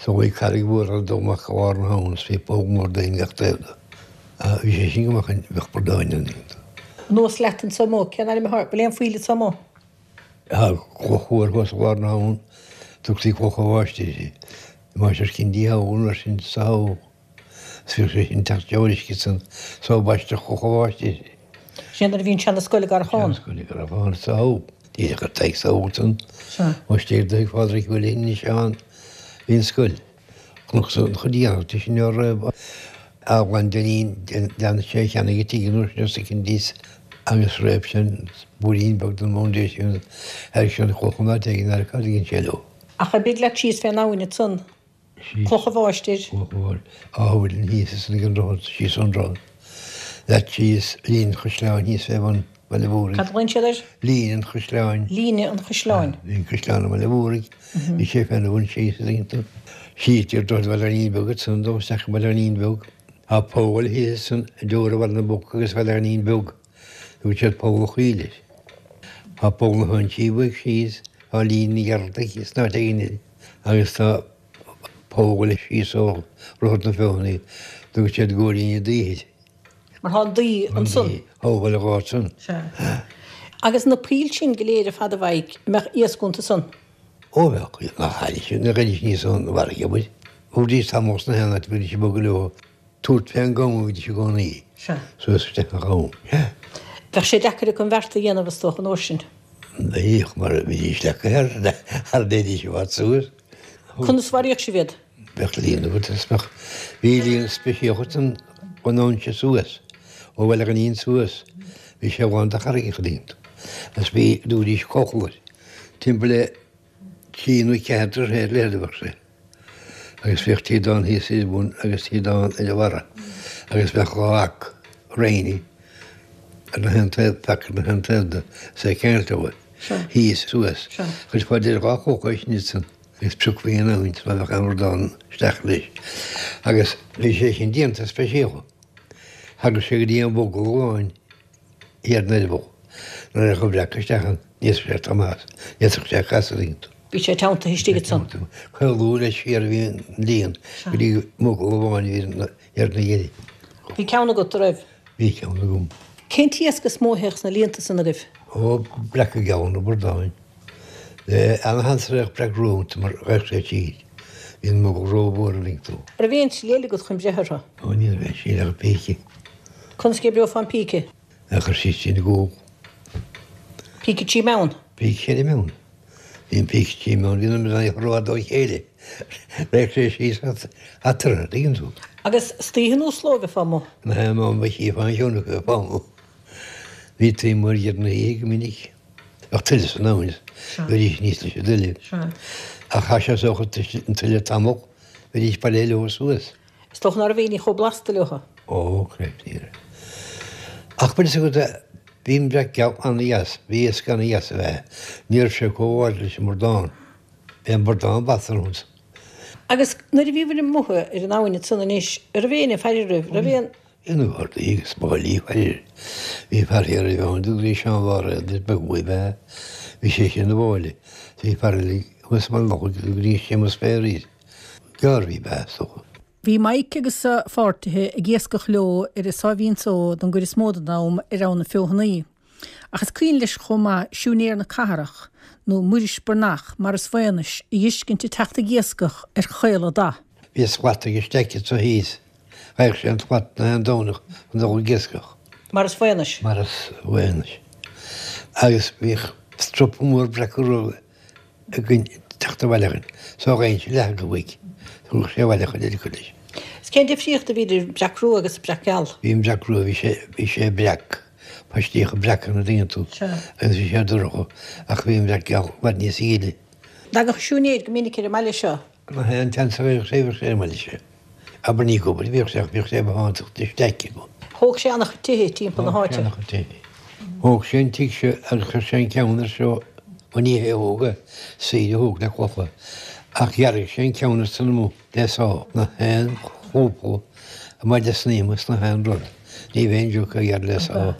So bhí carraig mhór ag dul amach i lár na habhann is bhí poll mór d'aon gach taobh de. Bhí sé sin go maith chun bheadh bradáin ann. Anuas leat anso amuigh, cén ainm atá, bhfuil aon phoill anso amuigh? Tá cloch mhór thuas i lár na habhann, tugtaí cloch an mháistir uirthi. Máistir Cindy thall mar sin sa thall. Is bhíodh sé sin teacht de uisce san so baisteadh cloch an mháistir uirthi. Sin nuair a bhí an seana-scoil i gCarrachán. Seana-scoil i gCarrachán sa thall. Díreach ar Tadhg sa thall san. Mháistir do thig Phádraig Willie anois ann. Bhí an scoil. Chonac an chuid dhéanach de sin ar Eaglán Dinneen lean sé a cheannaigh a tigh an uair sin os a cionn thíos agus réab sé an blúirín beag den bhfoundation thairg sé an chloch in áit éigin ar cad a dhein sé leo. Ach oibrigh leat síos fén abhainn ansan, Cloch an Mháistir. Cloch an Mháistir. Áth Mhuilinn thíos is ag an droichead síos ón droichead. Leat síos Líne an Chaisleáin thíos fé bhun Bhaile Mhúraigh. Cad a ghlaonn siad air? Líne an Chaisleáin. Líne an Chaisleáin. Bhí an caisleán i mBaile Mhúraigh. Bhí sé féna bhun síos is iontu. Síos idir Droichead Bhaile Ghainín Beag ansan dul isteach i mBaile Ghainín Beag. Tá poll thíos ansan i dteora Bhaile na bPoc agus Bhaile Ghainín Beag. Tugann siad Poll an Choill air. Tá Poll na hInsí uaidh síos, tá Líne an Ghearaltaigh thíos in áit éigin eile agus tá poll síos ó Dhroichead na Feothanaí. Tugann siad Góirín na Daoithe air. Mar tá an daoth ansan. Thogh an ghort san. Sea. Agus na poill sin go léir ar fad a Mhaidhc, an mbeadh iasc iontu san? Ó bheadh, nach tháinig siad, nach gcuiridís níos ón bhfarraige amuigh. Bhídís tamall sna haon áit, bhídís ag bogadh leo, tabhairt fén gcam a bhídís i gcónaí. Sea. Suas isteach an cham. Sea. Bheadh sé deacair acu an bheart a dhéanamh, is dócha, an uair sin. Bheadh, mar bhídís leagtha thar, thar dtéidís i bhfad suas. Conas a mharaíodh sibh iad? Bheadh líon agat is bheadh, bhí líon speisialta ann ón fhoinse suas, ó Bhaile Ghainín suas, bhí sé lán de charraigeacha iontu agus bhí dúidís cochall air, timpeall le trí nó ceathair troithe ar leithead a bheadh sé agus bhíodh tíodán thíos ar bun agus tíodán ar a bharra agus bheadh dhá fhac réinní ar na haon taobh, fac ar na haon taobh de, is é ceangailte uaidh, thíos suas, chuirfeá idir dhá chloch é sin ansan. Agus piocfaí an abhainn má bheadh aon bhradán isteach leis. Agus bhí sé sin déanta speisialta. Thagadh sé go dtí an mhogall amháin thiar in eireaball. Nuair a raghadh an breac isteach ann, ní fhéadfadh sé teacht amach as, ní fhéadfadh sé casadh iontu. Bhí sé teanntaithe istigh ansan. Caolú leis siar a bhí an líon go dtí mogall amháin a bhí thiar ina dheireadh. Bhí ceann agat, a raibh? Bhí ceann agam. Cén t-iasc is mó a théadh sna líonta san agaibh? Ó, breaca geala nó bradáin. Ana-sheans a raghadh breac rua iontu mar gheibheadh sé tríd. Bhí an mogall rómhór a bhíonn tú. An raibh aon tslí eile agat chun breith orthu? Ó, ní raibh aon tslí ach an píce. Conas go oibreofá an píce? A chur síos trína gcúl. Píce trí mheán? Píce ceithre mheán. Bhí an píce trí mheán, bhí na mná rófhada ó chéile. Bheadh sé síos eatarthu, tuigeann tú. Agus istoíche nó sa ló a bheifeá amuigh? Na haon am a chífeá an cheann acu a bheifeá amuigh. Bhí taobh amuigh ar dheireadh na hoíche go minic. Bheadh tuile san abhainn, bheidís aníos leis an dtuile. Ach chaith sé sócha an tuile tamall, bheidís bailithe leo suas. Is dócha ná raibh éinne chomh blasta leo. Ó, creid, ní raibh. Ach bhfuil fhios agat, bhí an breac geal an-dheas, bhí iasc an-dheas ab ea. Ní raibh sé chomh háirid leis an mbradán. Bhí an bradán blasta ormsa. Agus nuair a bhíobhair amuigh ar an abhainn ansan anois, an raibh éinne ag faire oraibh, raibh aon. Bhí na gardaí agus báillí ag faire. Bhí fear thiar a bhí ann, dtugtaí Seán Bháiréad is beag uaidh ab ea. Bhí sé sin ina bháille. Bhí fear eile thuas i mBaile Lochaigh, dtugtaí Séamus Féar air. Gardaí ab ea, is dócha. Bhí Mike agus a pháirtithe ag iascach leo ar an Sáimhín Só don gcuid is mó den am ar Abhainn na Feothanaí. Ach is cuimhin leis chomh maith siúinéir na cathrach, nó Muiris Breathnach, Maurice Mhaonais, a dh'fheiscint ag teacht ag iascach ar Chaol a' Dath. Bhí slat aige staic anso thíos. Gheibheadh sé an tslat na haon Domhnach chun dul ag iascach. Maurice Mhaonais. Maurice Mhaonais. Agus bhíodh stropa mór breaca rua againn teacht abhaile againn. So gheibhinnse leath acu uaidh. Thugadh sé abhaile chuid eile acu leis. Is cén difríocht a bhí idir breac rua agus breac geal? Bhí an breac rua, bhí sé, bhí sé breac. Paistíocha breaca an dtuigeann tú. Sea. Agus bhí sé dorcha ach bhí an breac geal i bhfad níos gile. Thagadh siúinéir go minic ar an mbaile seo. Nach é an tseans a bhíodh sé, bhíodh sé ar an mbaile seo. Abair ní ag obair a bhíodh sé ach bhíodh sé bothántacht isteach acu. Thóg sé an-chuid tithe timpeall na háite. Thóg sé an-chuid tithe. Thóg sé an tigh seo agus chuir sé an ceann air seo, bhuel ní hé a thóg é, saoire a thóg le clocha, ach dhearg sé an ceann ar san amuigh le sá. Na haon chlúpla a maide snaidhm is na haon rud, ní bheinn joke a ghearradh le sá.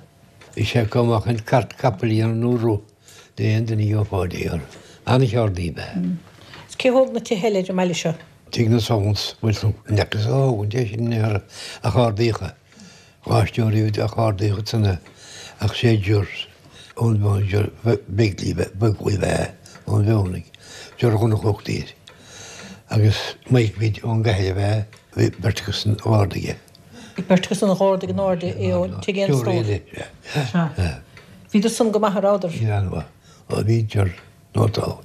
Bhí sé acu amach an cairt capaill a dhéanamh nó roth le aon duine a gheofá dé orthu. An-cheardaí ab ea é. Is cé a thóg na tithe eile ar an mbaile seo? Tigh na Sullans, bhuel n'fheacas a thógaint é sin in aon chor ach ardaíodh é. Gáisteoirí ach ardaíodh ansan é ach sé Ger ón Mheon Ger Begley Begley ab ea é ón Mhionnaigh, Ger Dhonncha a thugtaí air. Agus Mike Bid ón gCathair ab ea é, bhí beirt acu san a ardaigh é. Bhí beirt acu san a dh'ardaigh in airde é ó tigh aon stór. Sea. Bhíodar san go maith a rabhadar? Bhí an-mhaith. Ó bhí Ger. Nó tá.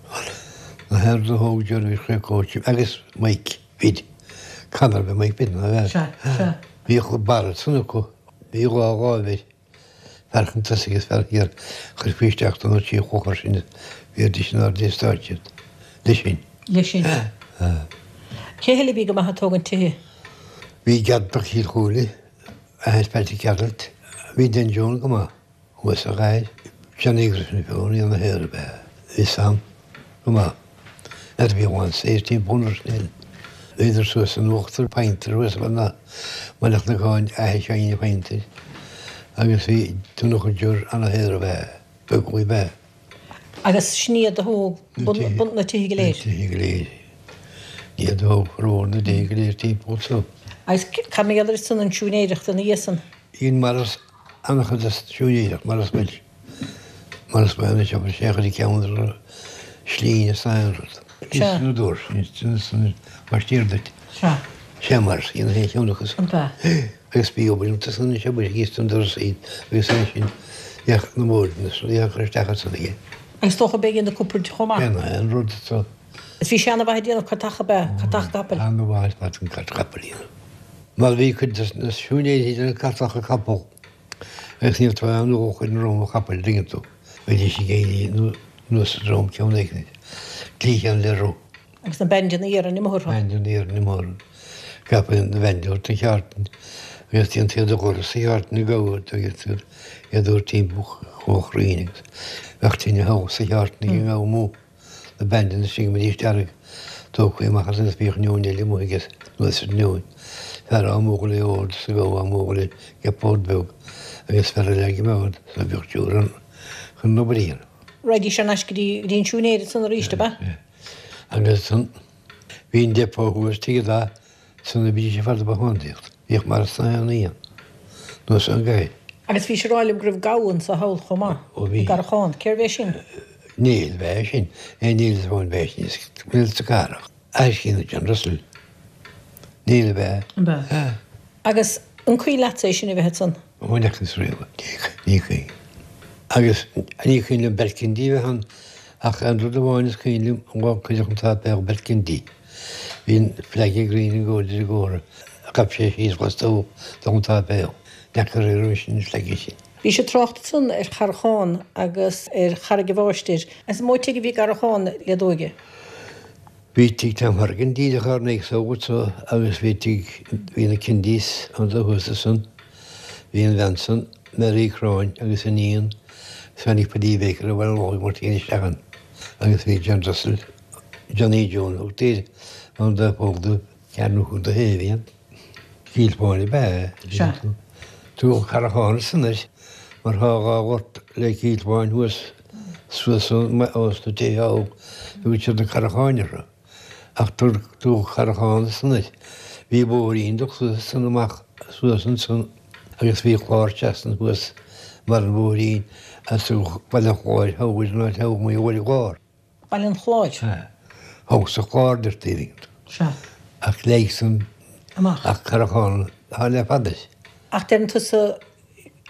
Na haon rud a thóg Ger bhí sé cóite agus Mike Bid. Conor bhí Mike Bid ná bhean. Sea, sea. Bhíodh barra san acu. Bhí dhá dháimh air. Fear chun tosaigh is fear thiar. Chuirfí isteach don trí chlochar sin bhíodís in airde stáitse iad. Leis sin. Leis sin. Cé eile a bhí go maith ag tógaint tithe? Bhí Geartach Chill Chúile, athair Patrick Gearailt. Bhí Dan Joan go maith. Thuas sa gcathair, Johnny Griffin Fiona ina shaothar ab ea Bhí Sam go maith. N'fheadar bhí a lán saoir timpeall an Roisnéil. Bhíodar suas san uachtar Pointer thuas i mBaile Chnocáin athair Sheáinín Phointer agus bhí Donncha Ger ana shaothar ab ea Beaglaoi ab ea. Agus sin iad a thóg bun na tithe go léir? Na tithe go léir. Iad a thóg formhór na dtithe go léir timpeall so. Agus cad mar gheall ar san an siúinéireacht ina dhiaidh san? Dhein Maurice an-chuid de siúinéireacht, Maurice Walsh. Maurice ba anois obair sé a chuid ceann ar slí is aon rud. Sea. Is na dúirt, sin mar stír duit. Sea. Sé Maurice, dhein a cheann acu. An b'ea? Agus bhí obair iontu san anois obair thíos don doras iad agus ansin bheadh na boird na rudaí á gcur isteach ansan aige. Agus dócha b'é a dhein na cupboird chomh maith. Dhein aon rud so. Is bhí sé ana-mhaith ag déanamh cartacha ab ea? Cartach capaill. Ana-mhaith ar fad an cairt capaill a dhéanamh. Mar bhí cuid de na siúinéirí ag déanamh cartacha capall agus ní raibh aon luach ar an ndroim chapaill, an dtuigeann tú. Bhídís ag éirí anuas sa droim ceann éigin, cliathán le roth. Agus na bandanna iarainn amuigh orthu. Bandanna iarainn amuigh orthu. Gabh na bandaí ort an cheártain agus déantaí iad a dhoras sa cheártain a gabhadh agus iad a thabhairt timpeall chomh cruinn agus bheadh tine thall sa cheártain ag an ngabha amuigh. Na bandanna istigh go mbeidís dearg, tógtha amach as agus bhíodh neoin eile amuigh aige anuas ar an neoin. Fear á múchadh le ord is an gabha á múchadh le gepard beag agus fear eile á gcimeád so bhíodh triúr ann chun an obair a dhéanamh. Raghaidís thar n-ais go dtí go dtí an siúinéir ansan arís, ab ea? Agus ansan bhí an depot thuas tigh a da San a bhídís ar fad ag bothántaíocht. Bhíodh Maurice sna haon oíche anuas ón gcathair. Agus bhís ag rá liom go raibh gabha anso thall chomh maith, Ó bhí. i gCarrachán. Cérbh é sin? Néill ab ea é sin. É Néill is amháin ab ea é sin. Is Néill sa Cathrach. Aisín John Russell. Néill ab ea. Ab ea? Agus an cuimhin leatsa é sin a bheith ansan? Ó n'fheacas riamh. Ní cuimhin. Agus ní cuimhin liom Bert Kennedy a bheith ann ach an rud amháin is cuimhin liom an lá a cuireadh an sáipéal Bert Kennedy. Bhí an flag ag Green and Gold ar an gcomhartha. Ghabh sé síos lastuas don tsáipéal. N'fheaca riamh roimis an flag sin. Bhís ag trácht ansan ar Charrachán agus ar Charraig an Mháistir. Is mó tigh a bhí i gCarrachán le d'óige. Bhí tigh Tom Horgan díreach ár n-aghaidh agat agus bhí tigh, bhí na Kennedys anso thuas ansan. Bhí an bhean san, Mary Cráin agus a níon, tháinig Paddy Baker ó Bhaile an Lochaigh Máirtín isteach ann agus bhí John Russell, Johnny Joan a thugtaí air ann do phóg do cheathrú do thaobh iad. Cill Fáin ab ea Sea. Tugadh Carrachán ansan air mar thá dhá ghort le Cill Fáin thuas suas ós na tithe thall tugann siad na Carracháin orthu. Ach tugadh Carrachán ansan air. Bhí bóithrín dul suas ansan amach suas ansan agus bhí clár trasna thuas mar an bhóithrín as Baile an Chláir thall ar an áit thall amuigh i bhFoir an Chlár. Baile an Chláir. Sea. Thall sa Chlár deirtí a Sea. Ach leig san Amach. Ach Carrachán atá le fada. Ach deireann tusa.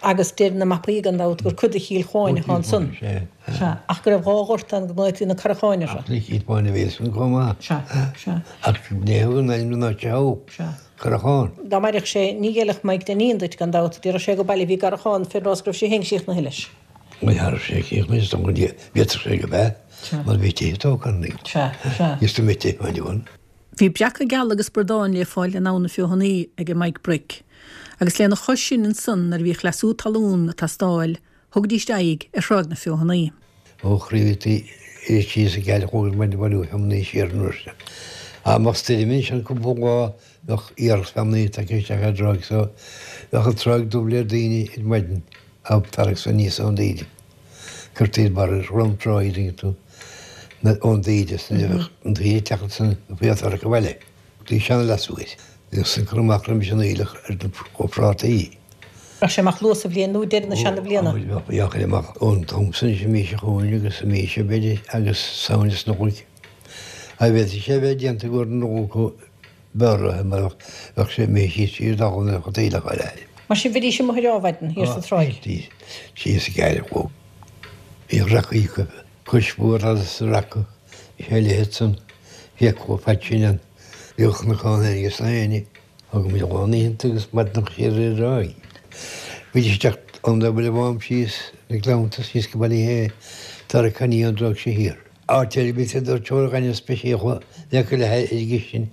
Agus deir na mapaí gan dabht gur cuid de Chill Chuáin atá ansan. Sea. Ach go raibh 2 ghort ann go nglaotaí na Carracháin orthu. Ach ní Cill Chuáin a bhí ansan chomh maith. Sea. Sea. Ach ní thug an ainm don áit seo. Sea. Carrachán. Dá mairfeadh sé, ní ghéillfeadh Mike Dineen duit gan dabht, déarfadh sé gur baile a bhí i gCarrachán fén rás go raibh sé féin críochnaithe leis. Ní raibh sé críochnaithe is dócha go bhféadfadh sé go b'ea, mar bhí tithe tógtha ann. Sea. Sea. Is do mhithe ann. Bhí breaca geala agus bradáin le fáil in Abha na Feothanaí age Mike Bric, agus lena chois sin ansan nuair a bhíodh leasú talún ag teastáil, thugaidíst aghaidh ar Thráigh na Feothanaí. Ó chraobhaí síos ag Geal chugainn muid bailiú feamnaí siar an uair sin. Ach má stoirm ansin cúpla lá bheadh iarracht feamnaí tagtha isteach ar an dtráigh so bheadh an tráigh dubh le daoine ar maidin ag tarraingt aníos ón dtaoide. Cuirtí ar barra dhrom trá iad an tú ón dtaoide is nuair a bheadh an taoide ag teacht ansan bhí an tarrac abhaile. Bhí seana-leasú air. Bhíodh san cur amach roimis an aoileach ar na prátaí. Bheadh sé amach luath sa bhliain nó deireadh na seana bhliana. Ó, bheadh sé amach ón t-am san anois an mhí seo chugainn agus an mhí seo b'fhéidir agus Samhain is Nollaig. Ach bhféadfadh sé a bheith déanta i gcomhair na Nollag b'fhearr mar bheadh sé imithe síos tríd an talamh nuair a bheadh an t-aoileach á leath. Mar sin bhídís amuigh ar ádhmhaidin thiar sa tráigh. Bhídís síos ag aire chomh. Bhíodh racaí acu cois mhór fhada sa raca, bhí sé leathan san, bhíodh chomh fada sin ann. Bhíodh cnocán féin aige sna héinne. Thug muid lán oícheanta agus maidineacha siar ar an dtráigh. Bhídís ag teacht ón Bhaile Bhám síos na gleannta síos go Ballyhea, tarrac aniar ón dtráigh seo thiar. Áit ar bith a doirteoir gaineamh speisialta le cur le ar an gcistin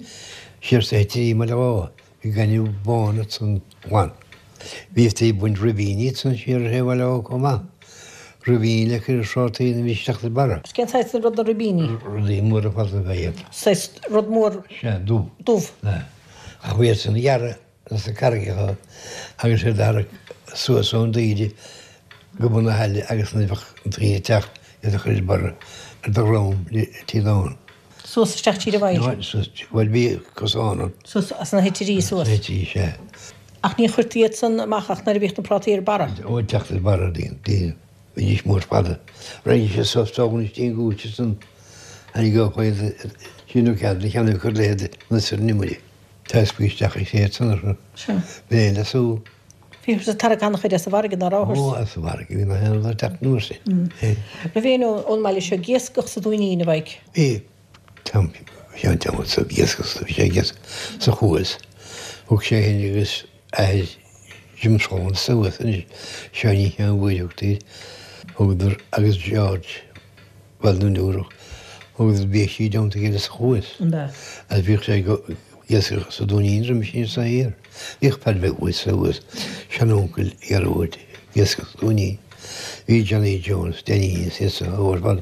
siar sa heitirí i mBaile Átha, bhí gaineamh bán ansan glan. Bhíotaí ag baint ribíní ansan siar ar thaobh Bhaile Átha chomh maith. Ribíní le cur ar phrátaí nuair a bhí siad ag teacht ar barra. Cén saghas rud na ribíní? Rudaí móra fada ab ea iad. Saghas rud mór Sea, dubh. dubh. Sea. Ach bhí iad san a ghearradh sna carraigeacha agus iad a tharrac suas ón dtaoide go bun na haille agus nuair a bheadh an taoide ag teacht iad a chur ar barra ar do dhroim le taobh ann. Suas isteach tríd an bhfaill. Suas, bhuel bhí cosán ann. Suas as na heitirí suas. Sna heitirí, sea. Ach ní chuirtí iad san amach ach nuair a bhíodh na prátaí ar barra. Ó, ag teacht ar barra, bhí, bhídís mór fada. Raghaidís sé suas tógann istigh an gcúis ansan, tháinig ó chuid, sin nó cead, na cheannaigh cur le hiad, na sir an iomaire. Teascfaí isteach ag séid san orthu. Sea. B'é an leasú. Bhíothas ag tarrac an-chuid as an bhfarraige, ná rabhthas? Ó, as an bhfarraige, bhí na haon rud ag teacht anuas sin. Raibh éinne ón mbaile seo ag iascach sa Dúinín, a Mhaidhc? Bhí. Tom, Sheáin Tom ag iascach, bhí sé ag iascach sa Chuas. Thug sé féin agus athair Jim Sullivan suas anois, Seáinín Sheáin Mhóir a thugtaí air. Thugadar agus George. Bhuel nó nuair a thugadar bhíodh sí i dteannta a chéile sa Chuas. Agus bhíodh sé ag iascach sa Dúinín roimis sin sa thiar. Bhíodh Paddy Bheag thuas thuas, seanuncail Ghearóid, ag iascach sa Dúinín. Bhí Johnny Jones, Danny is iad san ar fad,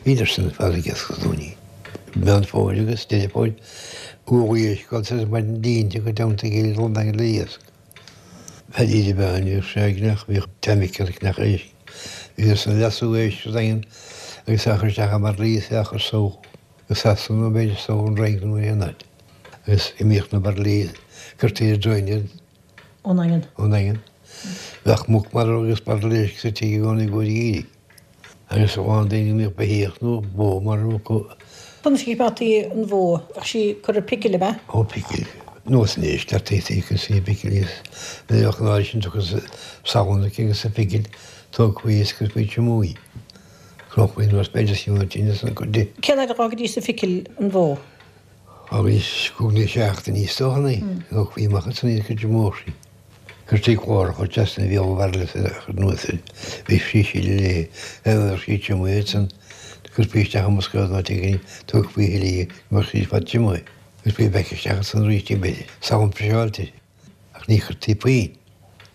bhíodar san ar fad ag iascach sa Dúinín. Meán Fómhair agus Deireadh Fómhair, uaigh éisc agus ar maidin línte go dteannta a chéile don Daingean le iasc. Paddy de Bhean, bhíodh sé ag neach, bhíodh Teaimic ar neach éisc. Bhíodh san leasú éisc sa Daingean agus á chur isteach i mbairillí is á chur só go Sasana nó b'fhéidir só ón Fhrainc nó aon áit. Agus imíodh na bairillí, cuirtí ar dtraein iad. Ón nDaingean. Ón nDaingean. Bheadh muc marbh agus bairille éisc sa tigh i gcónaí i gcomhair geimhridh. Agus a lán daoine a mbíodh beithíoch nó bó marbh acu. Conas a choimeádtaí an bhó? Bheadh sí curtha ar picil, ab ea? Ó, picil. Nós an éisc, deir taobh agus í picil is nuair a bheadh an áit sin tugtha salann aici agus sa phicil, tógfaí is cuirfí triomaigh í. Chnóchfaí anuas b'fhéidir is an tine san cuid di. Cén fhad a dh'fhágaidís sa phicil an bhó? Fhágaidís cúig nó seachtain í is dócha, ní? Thógfaí amach ansan í agus triomaíodh sí. Cuirtí cláracha trasna bhéal an bhairille is a chur anuas air. Bhí sí síle léi. Aon uair sí triomaithe ansan, cuirfí isteach i mbosca nó áit éigin í, tógfaí a thuilleadh í go mbeadh sí ar fad triomaithe. Cuirfí back isteach ansan arís í b'fhéidir. Salann friseáilte. Ach ní chuirtí puinn.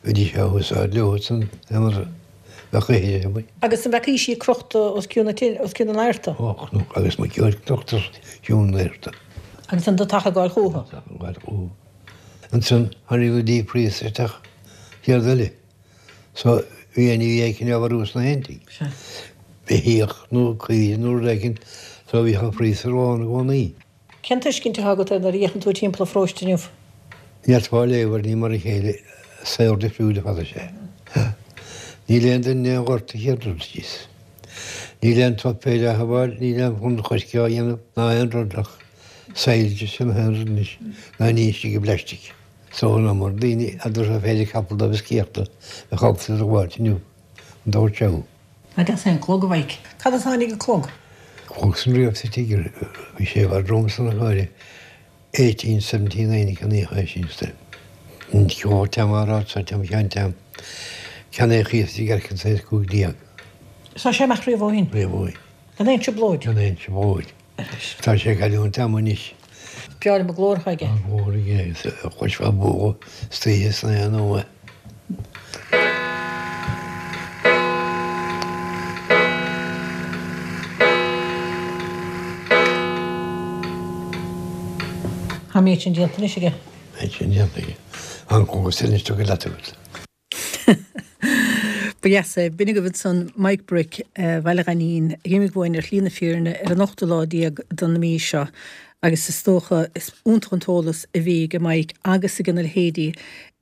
Bhídís á húsáid leo ansan aon uair a bheadh ithir amuigh. Agus an bhfeacaís í crochta os cionn na tine, os cionn an adharta? Ó, chonac agus muiceoil crochta os cionn an adharta. Agus an deatach ag gabháil chúthu? An deatach ag gabháil chúthu. Ansan tháinig na deep freezer isteach céard eile. So bhí an bhí éicint á mharú sna haontaí. Beithíoch nó caoire nó rud éicint so bhíodh an freezer lán i gcónaí. Cén tuiscint atá agat air nuair a fhéachann tú timpeall an pharóiste inniu? Ní fhéadfá a léamh air, ní mar a chéile, saol difriúil ar fad is ea. Níl aon duine in aon ghort a chéad rud síos. Níl aon top féir á shabháil, níl aon bhun choirce á dhéanamh ná aon rud ach Saillte sin an t-aon rud anois ná ní istigh i bplaisteach. So an iomar daoine a dtabharfá féile capall dóibh a sciathta bheadh ábalta iad a ghabháilt inniu, an dóigh seo. An deas é an clog, a Mhaidhc? Cad as a tháinig an clog? Clog san riamh sa tigh, bhí sé i bhfad romham san a chóir. 1879 a ceannaíodh é sin sa Cheol Team á rá sa Team Cheann Team Ceannaíodh í sa gceirceann sa 15. Tá sé amach riamh ó shin. Riamh ó shin. Gan aon trioblóid. Gan aon trioblóid. Tá sé ag cailliúint ama anois. Breá liom an glór atá aige. Tá an glór aige agus chloisfeá bualadh istoíche san aon nóiméad. Tá an méid sin déanta anois aige. Méid sin déanta aige. An cógas anois tugtha leat agat. Ba dheas é. B'in agaibh ansan Mike Brick, Bhaile Ghainín, a d'imigh uainn ar shlí na fírinne ar an ochtú lá déag den mhí seo. Agus is dócha, is iontach an t-eolas a bhí ag Mike agus ag a leithéidí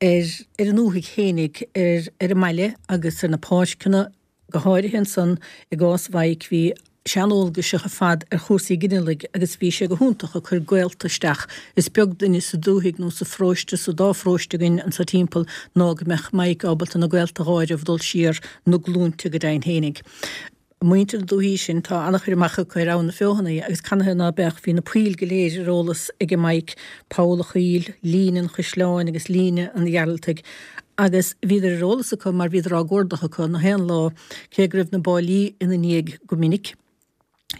ar ar an ndúthaigh fhéinig, ar ar an mbaile agus ar na páirceanna, go háirithe ansan i gcás Mhaidhc bhí sé an-eolgaiseach ar fad ar chúrsaí ginealaigh agus bhí sé go hiontach ag cur gaolta isteach. Is beag duine sa dúthaigh nó sa pharóiste, sa dá pharóiste againn anso timpeall ná go mbeadh Mike ábalta na gaolta a dh'áireamh dul siar na glúinte go deimhin fhéinig. Muintir na dúthaí sin, tá an-chur amach acu ar Abhainn na Feothanaí agus canathaobh ná beadh, bhí na poill go léir ar eolas ag Mike, Poll a' Choill, Líne an Chaisleáin agus Líne an Ghearaltaigh agus bhíodar ar eolas acu mar bhíodar á gcuardach acu na haon lá, cé go raibh na báillí ina ndiaidh go minic.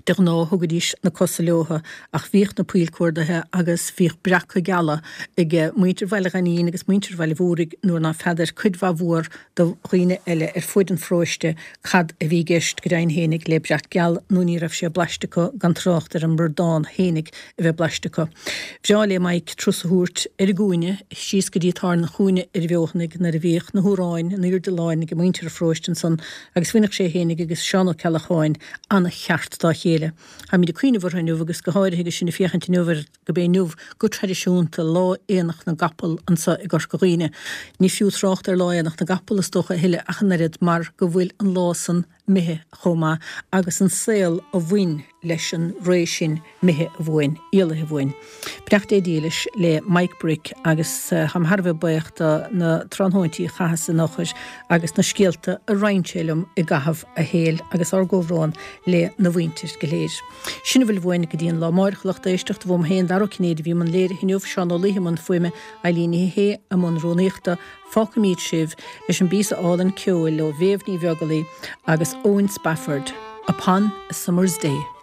De ghnáth thugaidís na cosa leotha ach bhíodh na poill cuardaithe agus bhíodh breaca geala ag muintir Bhaile Ghainín agus muintir Bhaile Mhúraigh nuair ná feadair cuid mhaith mhór do dhaoine eile ar fuaid an pharóiste cad a bhí i gceist go deimhin fhéinig le breac geal nó ní raibh sé blaiste acu gan trácht ar an mbradán fhéinig a bheith blaiste acu. Bhreá le Mike turas a thabhairt ar an gcúinne síos go dtí Táirne an Chúinne ar an bhFeothanaigh nuair a bhíodh na hAráin in aoirde láin ag muintir an pharóiste ansan agus bhainfeadh sé fhéinig agus Seán Ó Ceallacháin ana-cheart dá chéile. Táimid ag cuimhneamh orthu inniu agus go háirithe agus sinn ag féachaint inniu ar gurb é inniu go traidisiúnta Lá Aonach na gCapall anso i gCorca Dhuibhne. Ní fiú trácht ar Lá Aonach na gCapall is dócha a thuilleadh ach an oiread mar go bhfuil an lá san imithe chomh maith agus an saol a bhain leis an ré sin imithe uainn, éalaithe uainn. Beannacht Dé dílis le Mike Brick agus táim thar a bheith buíoch do na tráthnóintí a chaitheas ina fhochair agus na scéalta a roinn sé liom i gcaitheamh a shaoil agus ár gcomhbhrón le na mhuintir go léir. Sin a bhfuil uainn go dtí an lá amáireach a lucht éisteachta uaim féin Dara Ó Cinnéide a bhí i mbun léirithe inniu, Seán Ó Laoithe i mbun fuaime, Eilín Ní Shé i mbun rúnaíochta. Fágfaimid sibh leis an bpíosa álainn ceoil ó Mhéabh Ní Bheaglaoich agus Eoin Spafford, Upon a Summer's Day.